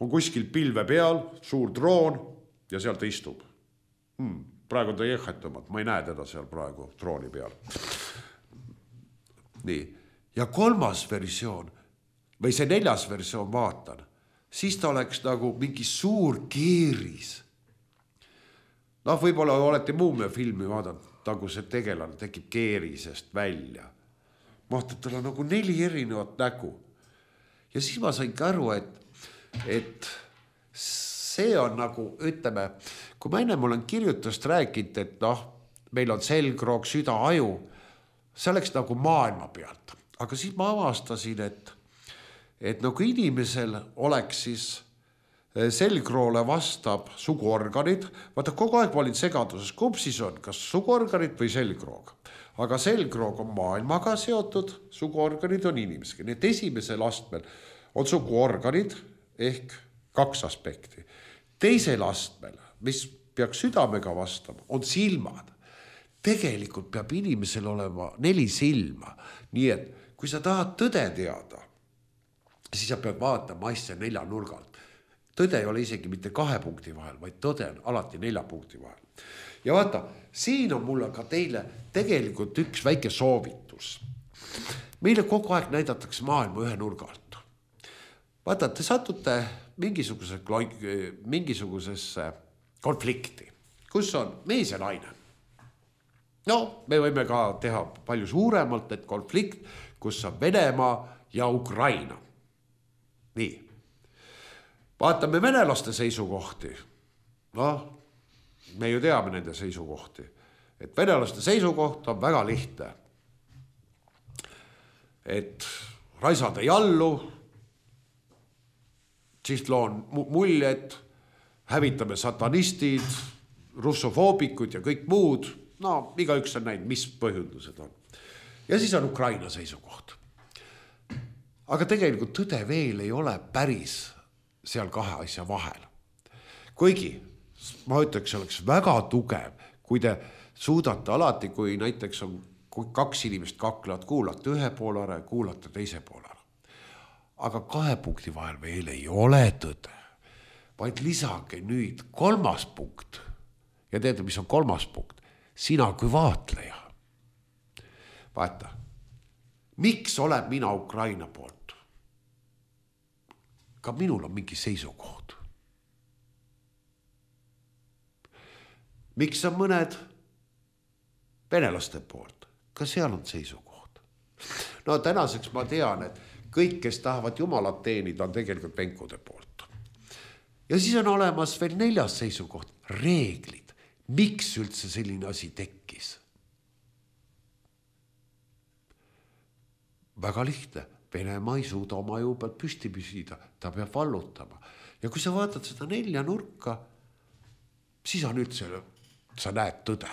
on kuskil pilve peal, suur droon ja seal ta istub. Praegu on ta jehhetumad, ma ei näe teda seal praegu drooni peal. Nii. Ja 3. versioon, või see 4. versioon vaatan, siis ta oleks nagu mingi suur keeris. Võib-olla olete Muumia filmi vaadanud, nagu see tegelane tekib keerisest välja. Vaatad, tal on nagu 4 erinevat nägu. Ja siis ma sain aru, et see on nagu, ütleme, kui ma ennem olen kirjutust rääkinud, et meil on selgroog, süda, aju, see oleks nagu maailma pealt. Aga siis ma avastasin, et nagu inimesel oleks siis selgroole vastab suguorganid. Vaata, kogu aeg ma olin segaduses, kumb siis on, kas suguorganid või selgroog. Aga selgroog on maailmaga seotud, suguorganid on inimesega. Nii et esimesel astmel on suguorganid ehk 2 aspekti. Teisel astmel, mis peaks südamega vastama, on silmad. Tegelikult peab inimesel olema 4 silma. Nii et kui sa tahad tõde teada, siis sa pead vaatama asja 4 nurgalt. Tõde ei ole isegi mitte 2 punkti vahel, vaid tõde on alati 4 punkti vahel. Ja vaata, siin on mulle ka teile tegelikult üks väike soovitus. Meile kogu aeg näidatakse maailma 1 nurgalt. Vaata, te satute mingisugusesse konflikti, kus on mees ja naine. Me võime ka teha palju suuremalt, et konflikt, kus on Venemaa ja Ukraina. Nii. Vaatame venelaste seisukohti. Me ju teame nende seisukohti. Et venelaste seisukoht on väga lihtne. Et raisad ei allu, siis loon muljet, hävitame satanistid, russofoobikud ja kõik muud. Igaüks on näinud, mis põhjendused on. Ja siis on Ukraina seisukoht. Aga tegelikult tõde veel ei ole päris seal 2 asja vahel. Kuigi, ma ütleks, oleks väga tugev, kui te suudate alati, kui näiteks on 2 inimest kaklevad, kuulate 1 pool ära ja kuulate 2 pool ära. Aga 2 punkti vahel veel ei ole tõde, vaid lisage nüüd 3. punkt. Ja teate, mis on 3. punkt? Sina kui vaatleja. Vaata, miks olen mina Ukraina poolt? Ka minul on mingi seisukoht. Miks on mõned venelaste poolt? Ka seal on seisukoht. Tänaseks ma tean, et kõik, kes tahavad jumalat teenida, on tegelikult venkude poolt. Ja siis on olemas veel 4. seisukoht, reeglid. Miks üldse selline asi tekkis? Väga lihtne. Venemaa ei suuda oma jõu pealt püsti püsida. Ta peab vallutama. Ja kui sa vaatad seda 4 nurka, siis on üldse, sa näed tõde.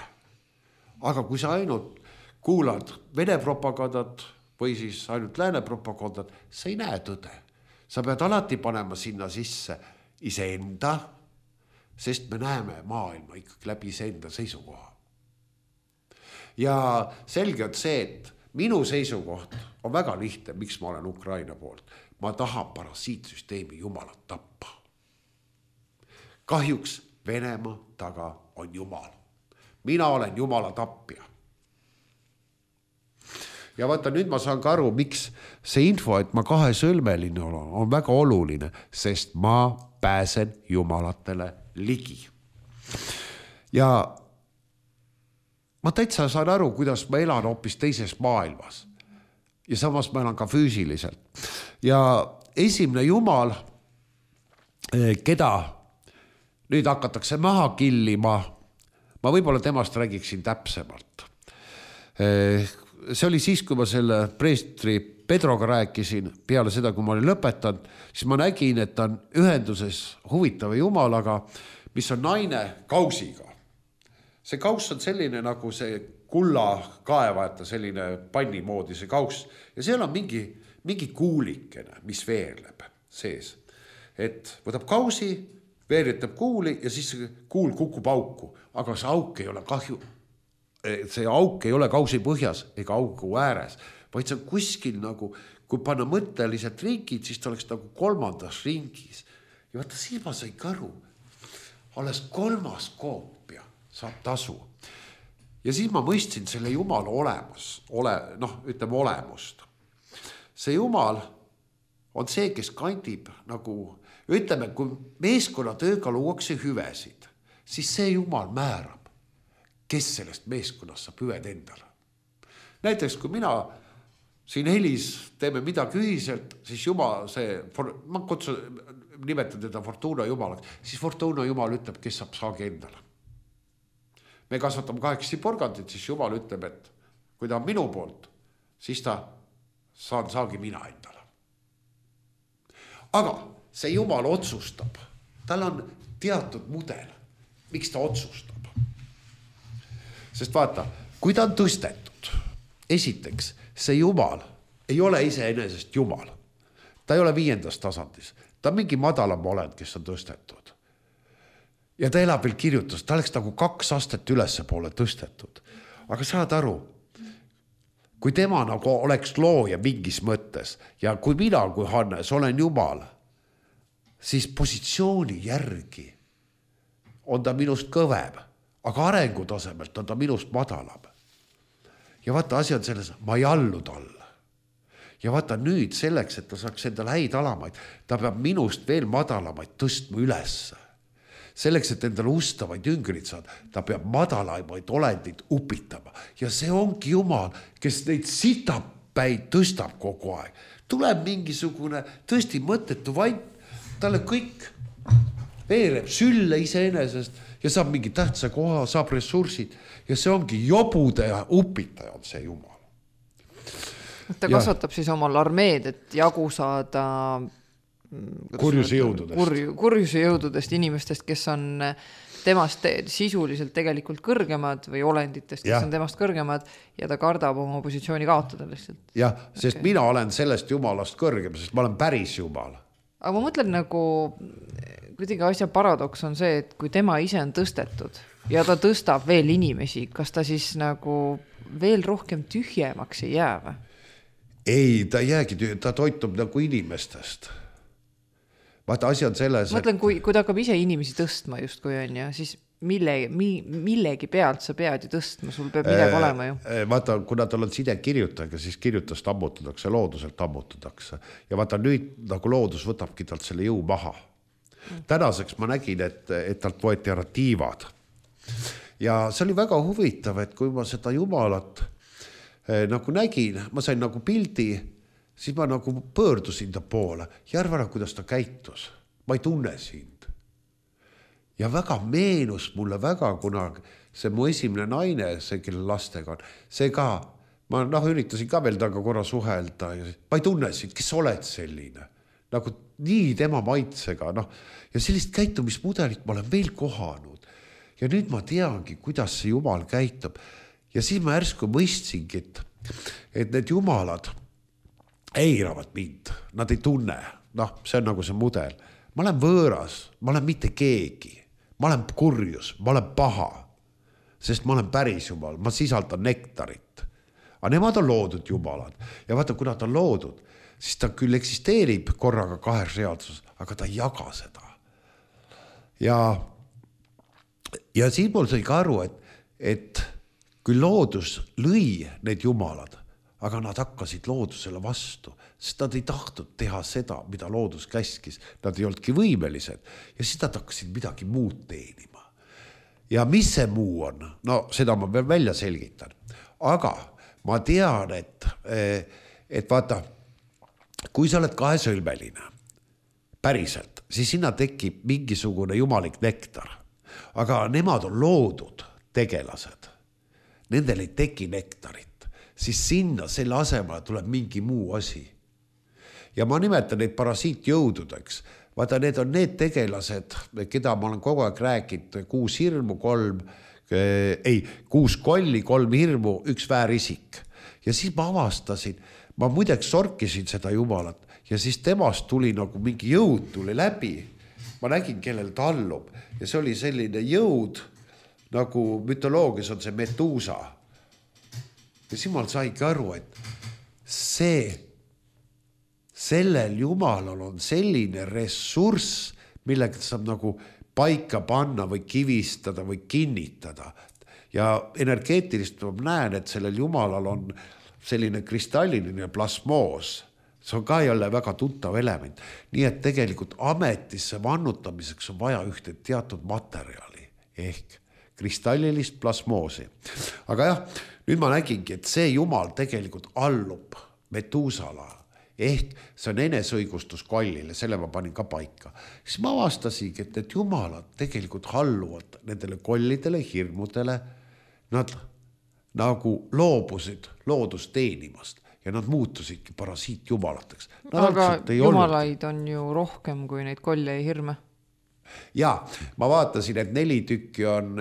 Aga kui sa ainult kuulad Vene propagandat või siis ainult lääne propagandat, sa ei näe tõde. Sa pead alati panema sinna sisse iseenda, sest me näeme maailma ikkagi läbi iseenda seisukoha. Ja selge on see, et minu seisukoht on väga lihtne, miks ma olen Ukraina poolt. Ma tahan parasiitsüsteemi jumalat tappa. kahjuks Venemaa taga on Jumal. Mina olen Jumala tapja. Ja vaata, nüüd ma saan ka aru, miks see info, et ma kahesõlmeline olen, on väga oluline, sest ma pääsen Jumalatele ligi. Ja ma täitsa saan aru, kuidas ma elan hoopis teises maailmas. Ja samas ma elan ka füüsiliselt. Ja esimene Jumal, keda nüüd hakatakse maha killima, ma võib-olla temast räägiksin täpsemalt. See oli siis, kui ma selle preestri Pedroga rääkisin, peale seda, kui ma olin lõpetanud, siis ma nägin, et ta on ühenduses huvitava Jumalaga, mis on naine kausiga. See kauss on selline nagu see kulla kaevajata, selline panni moodi see kauss. Ja seal on mingi kuulikene, mis veerleb sees. Et võtab kausi, veeritab kuuli ja siis kuul kukub auku. Aga see auk ei ole kahju. See auk ei ole kausi põhjas ega auku ääres, vaid see on kuskil nagu, kui panna mõtteliselt ringid, siis ta oleks nagu kolmandas ringis. Ja vaata, siis ma sain aru, alles 3. koopia saab tasu. Ja siis ma mõistsin selle Jumala olemust. See Jumal on see, kes kandib nagu, ütleme, kui meeskonnatööga luuakse hüvesid, siis see Jumal määrab, kes sellest meeskonnast saab hüved endale. Näiteks, kui mina siin Helis teeme midagi ühiselt, siis Jumal ma nimetan teda Fortuna Jumalaks, siis Fortuna Jumal ütleb, kes saab saagi endale. Me kasvatame 8 porgandit, siis Jumal ütleb, et kui ta on minu poolt, siis ta saan saagi mina endale. Aga see Jumal otsustab. Tal on teatud mudel, miks ta otsustab. Sest vaata, kui ta on tõstetud, esiteks, see Jumal ei ole iseenesest Jumal. Ta ei ole 5. tasandis. Ta on mingi madalam olend, kes on tõstetud. Ja ta elab veel kirjutas. Ta oleks nagu 2 astet ülesse poole tõstetud. Aga saad aru, kui tema nagu oleks looja mingis mõttes ja kui mina, kui Hannes, olen Jumal, siis positsiooni järgi on ta minust kõvem. Aga arengutasemelt on ta minust madalam. Ja vaata, asi on selles, ma ei allu talle. Ja vaata nüüd selleks, et ta saaks endale häid alamaid, ta peab minust veel madalamaid tõstma ülesse. Selleks, et endale ustavaid jüngrid saada, ta peab madalamaid olendid upitama. Ja see ongi Jumal, kes neid sitapäid tõstab kogu aeg. Tuleb mingisugune tõesti mõttetu vaid, talle kõik veereb sülle iseenesest ja saab mingi tähtsa koha, saab ressursid ja see ongi jobude upitaja on see Jumal. Ta kasvatab siis omal armeed, et jagu saada kurjuse jõududest inimestest, kes on temast sisuliselt tegelikult kõrgemad või olenditest, kes on temast kõrgemad ja ta kardab oma positsiooni kaotada lihtsalt. Jah, sest mina olen sellest Jumalast kõrgem, sest ma olen päris Jumal. Aga ma mõtlen nagu, kuidagi asja paradoks on see, et kui tema ise on tõstetud ja ta tõstab veel inimesi, kas ta siis nagu veel rohkem tühjemaks ei jää või? Ei, ta ei jäägi tühjem, ta toitub nagu inimestest. Vaata, asi on selles... Mõtlen, kui ta hakkab ise inimesi tõstma just kui on ja siis millegi pealt sa pead ju tõstma, sul peab midagi olema ju. Vaata, kuna tal on side kirjutajaga, siis kirjutast ammutatakse, looduselt ammutatakse. Ja vaata, nüüd nagu loodus võtabki talt selle jõu maha. Tänaseks ma nägin, et talt võeti ära tiivad. Ja see oli väga huvitav, et kui ma seda Jumalat nagu nägin, ma sain nagu pildi, siis ma nagu pöördusin ta poole ja arvan, kuidas ta käitus. Ma ei tunne sind. Ja väga meenus mulle väga, kuna see mu esimene naine, see kelle lastega on, see ka, ma üritasin ka veel taga korra suhelda ja ma ei tunne sind, kes oled selline. Nagu nii tema maitsega, ja sellist käitumismudelit ma olen veel kohanud. Ja nüüd ma teangi, kuidas see Jumal käitub. Ja siis ma järsku mõistsingi, et need Jumalad eiravad mind, nad ei tunne. See on nagu see mudel. Ma olen võõras, ma olen mitte keegi. Ma olen kurjus, ma olen paha, sest ma olen päris Jumal, ma sisaldan nektarit. Aga nemad on loodud Jumalad. Ja vaata, kuna ta on loodud, siis ta küll eksisteerib korraga 2 reaalsus, aga ta ei jaga seda. ja siin mul sai ka aru, et kui loodus lõi need jumalad, aga nad hakkasid loodusele vastu, sest nad ei tahtnud teha seda, mida loodus käskis. Nad ei olnudki võimelised ja siis nad hakkasid midagi muud teenima. Ja mis see muu on? No seda ma veel välja selgitan. Aga ma tean, et vaata, kui sa oled kahesõlmeline, päriselt, siis sinna tekib mingisugune jumalik nektar. Aga nemad on loodud tegelased. Nendel ei teki nektarit, siis sinna selle asemele tuleb mingi muu asi. Ja ma nimetan neid parasiitjõududeks. Vaata, need on need tegelased, keda ma olen kogu aeg rääkinud, 6 hirmu, 6 kolli, 3 hirmu, 1 väärisik. Ja siis ma avastasin, ma muideks sorkisin seda jumalat ja siis temast tuli nagu mingi jõud tuli läbi. Ma nägin, kellel ta allub ja see oli selline jõud, nagu mütoloogias on see Medusa. Ja siis ma saingi aru, et sellel jumalal on selline ressurss, millega saab nagu paika panna või kivistada või kinnitada. Ja energeetilist ma näen, et sellel jumalal on selline kristalliline plasmoos. See on ka jälle väga tuntav element. Nii et tegelikult ametisse vannutamiseks on vaja ühte teatud materjali ehk kristallilist plasmoosi. Aga jah, nüüd ma nägingi, et see jumal tegelikult allub Medusala ehk see on enesõigustus kollile, selle ma panin ka paika. Siis ma avastasingi, et need jumalad tegelikult alluvad nendele kollidele, hirmudele. Nad nagu loobusid loodust teenimast ja nad muutusidki parasiitjumalateks. Aga jumalaid on ju rohkem kui neid kolle ja hirme. Ja ma vaatasin, et 4 tükki on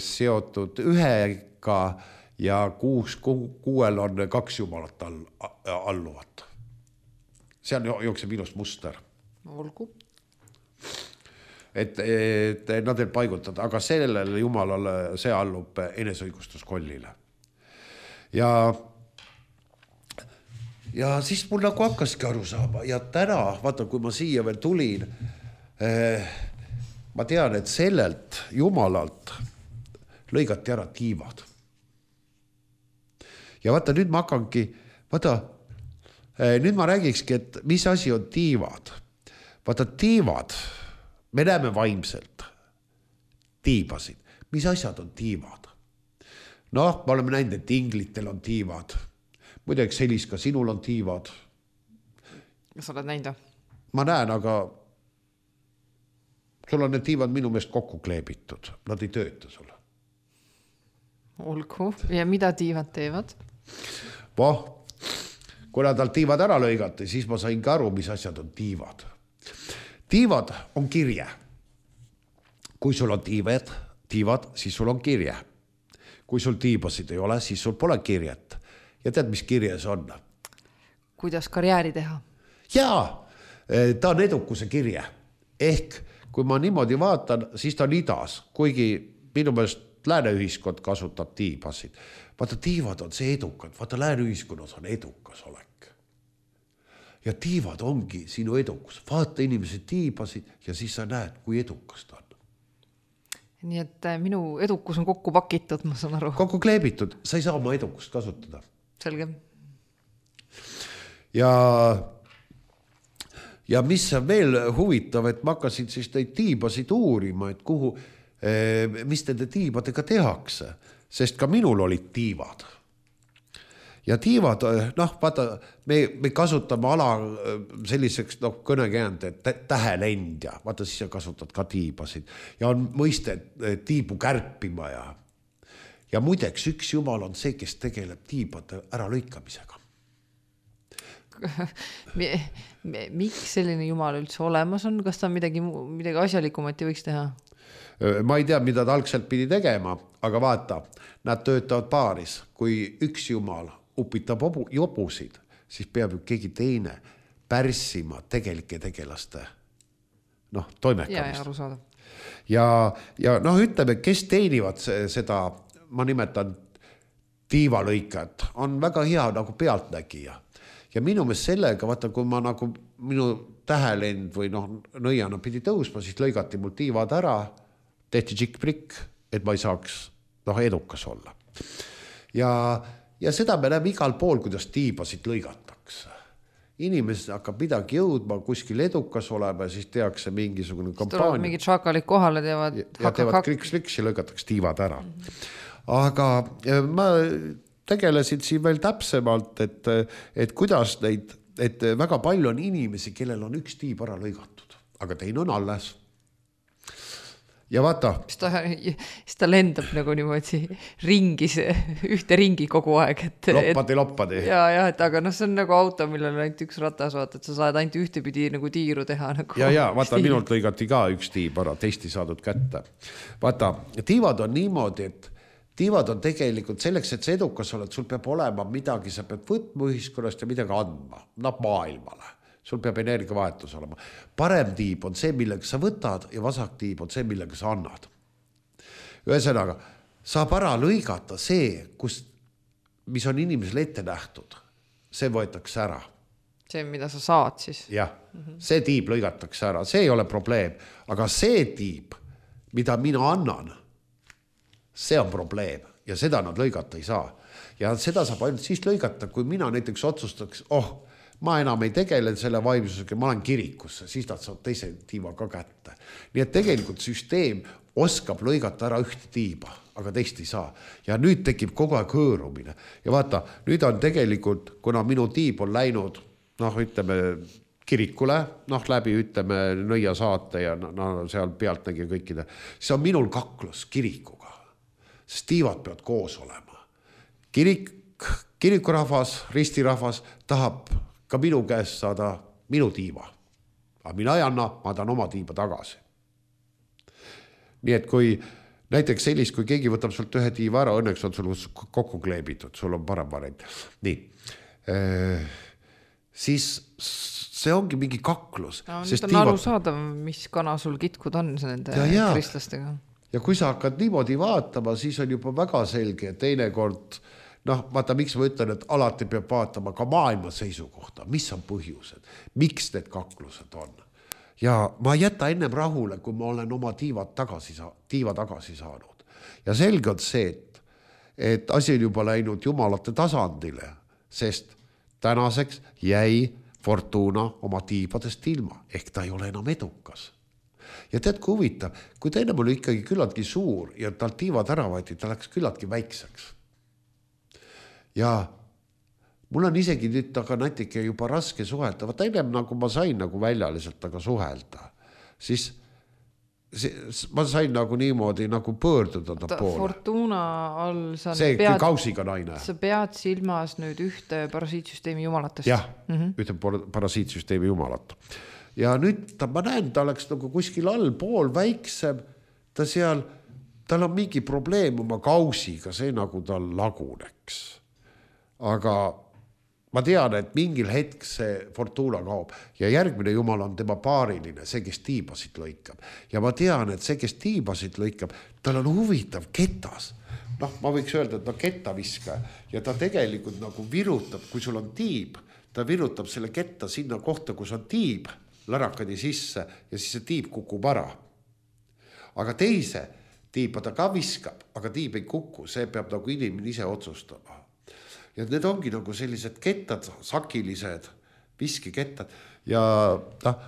seotud ühega ja 6 on 2 jumalat alluvat. See on jookseb ilus muster. Olgu. Et nad ei paigutada, aga sellele jumalale see allub enesõigustuskollile. Ja siis mul nagu hakkaski aru saama ja täna, vaata, kui ma siia veel tulin, ma tean, et sellelt jumalalt lõigati ära tiivad. Ja vaata, nüüd ma hakkangi, nüüd ma räägikski, et mis asi on tiivad. Vaata, tiivad, me näeme vaimselt tiibasid. Mis asjad on tiivad? Noh, me oleme näinud, et inglitel on tiivad. Muideks, Helis, ka sinul on tiivad. Kas oled näinud? Ma näen, aga sul on need tiivad minu meelest kokku kleebitud. Nad ei tööta sulle. Olgu. Ja mida tiivad teevad? Kui nad tiivad ära lõigati, siis ma sain ka aru, mis asjad on tiivad. Tiivad on kirje. Kui sul on tiivad, siis sul on kirje. Kui sul tiibasid ei ole, siis sul pole kirjet. Ja tead, mis kirjes on? Kuidas karjääri teha? Jaa, ta on edukuse kirje. Ehk kui ma niimoodi vaatan, siis ta on idas, kuigi minu meelest lääneühiskond kasutab tiibasid. Vaata, tiivad on see edukad. Vaata, lääneühiskonnas on edukas olek. Ja tiivad ongi sinu edukus. Vaata, inimesed tiibasid ja siis sa näed, kui edukas ta on. Nii et minu edukus on kokku pakitud, ma saan aru. Kokku kleebitud, sa ei saa oma edukust kasutada. Selge. Ja mis on veel huvitav, et ma hakkasin siis neid tiibasid uurima, et kuhu, mis nende tiibadega tehakse, sest ka minul olid tiivad. Ja tiivad, vaata, me kasutame ala selliseks kõnekäänd, et tähelendja, vaata siis sa kasutad ka tiibasid ja on mõiste tiibu kärpima ja muideks üks jumal on see, kes tegeleb tiibade ära lõikamisega. Miks selline jumal üldse olemas on? Kas ta midagi asjalikumati võiks teha? Ma ei tea, mida ta algselt pidi tegema, aga vaata, nad töötavad paaris. Kui üks jumal upitab jobusid, siis peab ju keegi teine pärssima tegelike tegelaste toimekamist. Ja arusaadav. Ja ütleme, kes teenivad seda, ma nimetan tiivalõikajat, on väga hea nagu pealtnägija. ja minu meelest sellega, vaata, kui ma nagu minu tähelend või nõiana pidi tõusma, siis lõigati mul tiivad ära, tehti tšikk-prikk, et ma ei saaks edukas olla. Ja seda me näeme igal pool, kuidas tiibasid lõigatakse. Inimesed hakkab midagi jõudma, kuskil edukas olema ja siis tehakse mingisugune kampaania. Tulevad mingid šakalid kohale, teevad kriks-kriks ja lõigatakse tiivad ära. Aga ma tegelesin siin veel täpsemalt, et kuidas neid, et väga palju on inimesi, kellel on üks tiib ära lõigatud, aga teine on alles. Ja vaata. Siis ta lendab nagu niimoodi ringis, ühte ringi kogu aeg. Loppadi. Ja, aga see on nagu auto, millel on ainult üks ratas, vaata, et sa saad ainult ühtepidi nagu tiiru teha. Nagu ja, vaata, minult lõigati ka üks tiib ära, teist ei saadud kätte. Vaata, tiivad on niimoodi, et tiivad on tegelikult selleks, et sa edukas oled, sul peab olema midagi, sa pead võtma ühiskonnast ja midagi andma, maailmale. Sul peab energiavahetus olema. Parem tiib on see, millega sa võtad ja vasak tiib on see, millega sa annad. Ühesõnaga, saab ära lõigata see, mis on inimesele ette nähtud. See võetakse ära. See, mida sa saad siis. Jah, see tiib lõigatakse ära, see ei ole probleem. Aga see tiib, mida mina annan, see on probleem ja seda nad lõigata ei saa. Ja seda saab ainult siis lõigata, kui mina näiteks otsustaks, ma enam ei tegele selle vaimsusega, ma olen kirikusse, siis nad saavad teise tiiva ka kätte. Nii et tegelikult süsteem oskab lõigata ära ühte tiiba, aga teist ei saa. Ja nüüd tekib kogu aeg hõõrumine. Ja vaata, nüüd on tegelikult, kuna minu tiib on läinud, ütleme, kirikule, läbi, ütleme, nõia saate ja seal pealt nägi kõikide, siis on minul kaklus kirikuga, sest tiivad peavad koos olema. Kirikurahvas, ristirahvas tahab ka minu käest saada minu tiiva. Aga mina ei anna, ma tahan oma tiiba tagasi. Nii et kui näiteks sellist, kui keegi võtab sult ühe tiiva ära, õnneks on sul kokku kleebitud, sul on parem variant. Nii, siis see ongi mingi kaklus. Nüüd on aru saada, mis kana sul kitkud on nende kristlastega. Ja kui sa hakkad niimoodi vaatama, siis on juba väga selge, et teinekord vaata, miks ma ütlen, et alati peab vaatama ka maailma seisukohta, mis on põhjused, miks need kaklused on. Ja ma jäta ennem rahule, kui ma olen oma tiiva tagasi saanud. Ja selge on see, et asi on juba läinud jumalate tasandile, sest tänaseks jäi Fortuna oma tiibadest ilma, ehk ta ei ole enam edukas. Ja tead, kui huvitav, kui ta ennem oli ikkagi küllaltki suur ja tal tiivad ära võeti, ta läks küllaltki väikseks. Ja mul on isegi nüüd aga natuke juba raske suhelda. Vaata ennem nagu ma sain nagu väljaliselt aga suhelda. Siis ma sain nagu niimoodi nagu pöörduda ta poole. Fortuna all see kausiga naine. Sa pead silmas nüüd ühte parasiitsüsteemi jumalatest. Jah, ühte parasiitsüsteemi jumalat. Ja nüüd ma näen, ta oleks nagu kuskil all pool väiksem. Tal on mingi probleem oma kausiga, see nagu tal laguneks. Aga ma tean, et mingil hetk see Fortuna kaob ja järgmine jumal on tema paariline, see, kes tiibasid lõikab. Ja ma tean, et see, kes tiibasid lõikab, tal on huvitav ketas. Ma võiks öelda, et kettaviska ja ta tegelikult nagu virutab, kui sul on tiib, ta virutab selle ketta sinna kohta, kus on tiib, lärakadi sisse ja siis see tiib kukub ära. Aga teise tiiba ta ka viskab, aga tiib ei kuku, see peab nagu inimene ise otsustama. Ja need ongi nagu sellised kettad, sakilised, viskikettad. Ja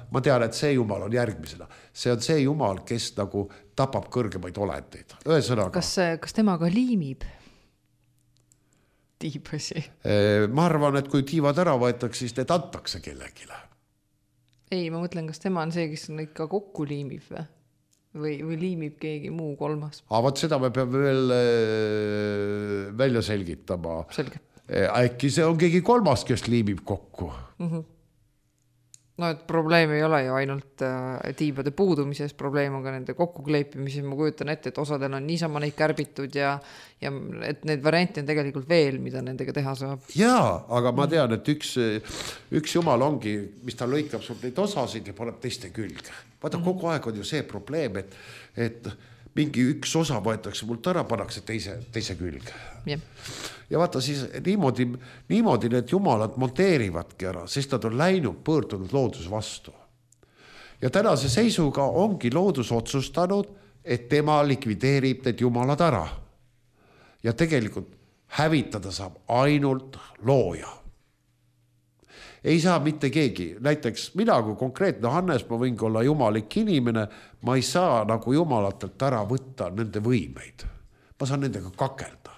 ma tean, et see jumal on järgmisena. See on see jumal, kes nagu tapab kõrgemaid olendeid. Ühesõnaga. Kas tema ka liimib tiibasi? Ma arvan, et kui tiivad ära võetakse, siis need antakse kellegile. Ei, ma mõtlen, kas tema on see, kes neid ka kokku liimib või liimib keegi muu kolmas? Vaat seda me peame veel välja selgitama. Selge. Äkki see on keegi kolmas, kes liimib kokku. No, et probleem ei ole ju ainult tiibade puudumises, probleem on ka nende kokkukleipimises. Ma kujutan ette, et osadel on niisama neid kärbitud ja et need variante on tegelikult veel, mida nendega teha saab. Jaa, aga ma tean, et üks jumal ongi, mis ta lõikab sul neid osasid ja paneb teiste külge. Vaata, kogu aeg on ju see probleem, et mingi üks osa võetakse mult ära, pannakse teise külge. Jah. Ja vaata siis niimoodi need jumalad monteerivadki ära, sest nad on läinud, pöördunud loodus vastu. Ja tänase seisuga ongi loodus otsustanud, et tema likvideerib need jumalad ära. Ja tegelikult hävitada saab ainult looja. Ei saa mitte keegi. Näiteks mina kui konkreetne Hannes, ma võingi olla jumalik inimene, ma ei saa nagu jumalatelt ära võtta nende võimeid. Ma saan nendega kakelda.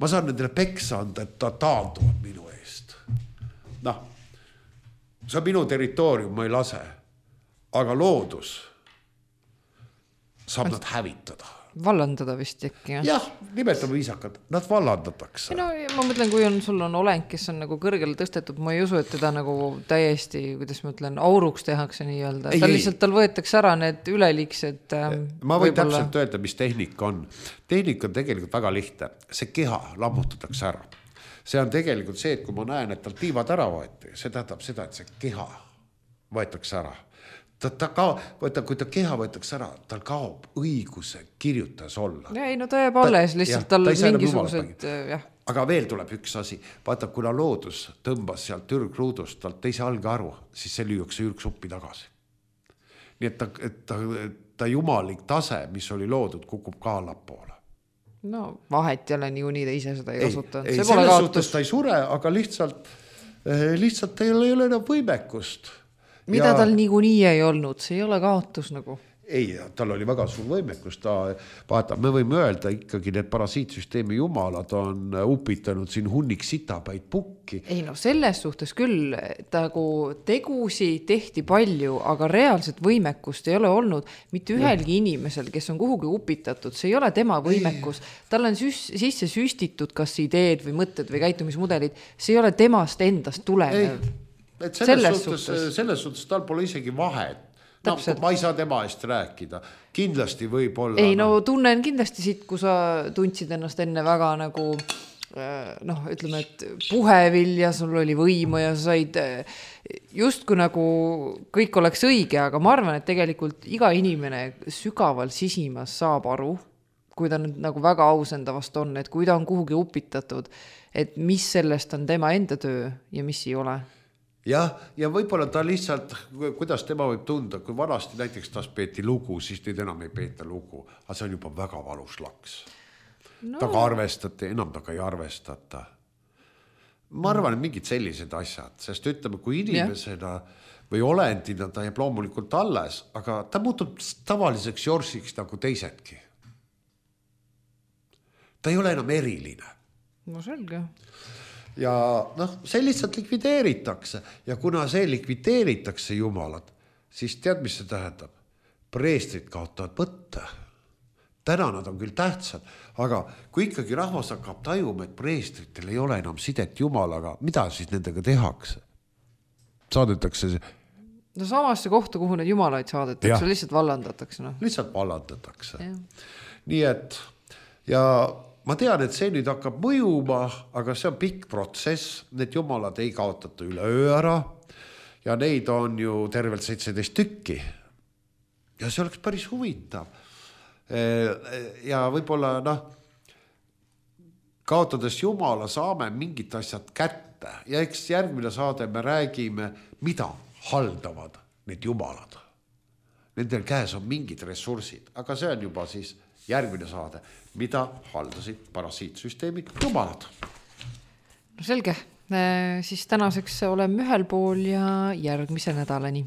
Ma saan nendele peksa anda, et ta taanduvad minu eest. Noh, see on minu territoorium, ma ei lase. Aga loodus saab nad hävitada. Vallandada vist äkki. Jah, nimetame viisakad, nad vallandatakse. No ma mõtlen, kui sul on oleng, kes on nagu kõrgele tõstetud, ma ei usu, et teda nagu täiesti, kuidas ma ütlen, auruks tehakse nii öelda. Lihtsalt tal võetakse ära need üleliiksed. Ma võin täpselt öelda, mis tehnika on. Tehnika on tegelikult väga lihtne. See keha lammutatakse ära. See on tegelikult see, et kui ma näen, et tal tiivad ära võeti, see tähendab seda, et see keha võetakse ära. Kui ta keha võetakse ära, tal kaob õiguse kirjutajas olla. Ei, no ta jääb alles, lihtsalt tal mingisugused, jah. Aga veel tuleb üks asi. Vaata, kuna loodus tõmbas sealt ürgruudust, talt teise alge aru, siis see lüüakse ürgsuppi tagasi. Nii et ta jumalik tase, mis oli loodud, kukub ka allapoole. No vahet jälle niikuinii ta ise seda ei kasutanud. Ei, selles suhtes ta ei sure, aga lihtsalt teil ei ole enam võimekust. Mida tal niikuinii ei olnud, see ei ole kaotus nagu. Ei, tal oli väga suur võimekus. Vaata, me võime öelda ikkagi, need parasiitsüsteemi jumalad on upitanud siin hunnik sitapäid pukki. Ei no selles suhtes küll, tegusi tehti palju, aga reaalset võimekust ei ole olnud mitte ühelgi inimesel, kes on kuhugi upitatud. See ei ole tema võimekus. Tal on sisse süstitud kas ideed või mõtted või käitumismudelid. See ei ole temast endast tulenev. Selles suhtes tal pole isegi vahet. No, ma ei saa tema eest rääkida. Kindlasti võib olla. Ei, no tunnen kindlasti siit, kui sa tundsid ennast enne väga nagu, ütleme, et puhevill ja sul oli võimu ja sa said just kui nagu kõik oleks õige, aga ma arvan, et tegelikult iga inimene sügaval sisimas saab aru, kui ta nüüd nagu väga aus enda vast on, et kui ta on kuhugi upitatud, et mis sellest on tema enda töö ja mis ei ole. Ja võib-olla ta lihtsalt, kuidas tema võib tunda, kui vanasti näiteks tas peeti lugu, siis nüüd enam ei peeta lugu, aga see on juba väga valus laks. No. Taga arvestati, enam taga ei arvestata. Ma arvan, et mingid sellised asjad, sest ütleme, kui inimesena või olendina ta jääb loomulikult alles, aga ta muutub tavaliseks jorsiks nagu teisedki. Ta ei ole enam eriline. No selge. Ja see lihtsalt likvideeritakse ja kuna see likvideeritakse jumalad, siis tead, mis see tähendab? Preestrid kaotavad mõtte. Täna nad on küll tähtsad, aga kui ikkagi rahvas hakkab tajuma, et preestritel ei ole enam sidet jumalaga, mida siis nendega tehakse? Saadetakse see? No samasse kohta, kuhu need jumalaid saadetakse, lihtsalt vallandatakse. No. Lihtsalt vallandatakse. Ja. Nii et ja ma tean, et see nüüd hakkab mõjuma, aga see on pikk protsess. Need jumalad ei kaotata üle öö ära ja neid on ju tervelt 17 tükki. Ja see oleks päris huvitav. Ja võib-olla kaotades jumala saame mingid asjad kätte ja eks järgmine saade me räägime, mida haldavad need jumalad. Nendel käes on mingid ressursid, aga see on juba siis järgmine saade, mida haldasid parasiitsüsteemid jumalad. No selge, siis tänaseks oleme ühel pool ja järgmise nädalani.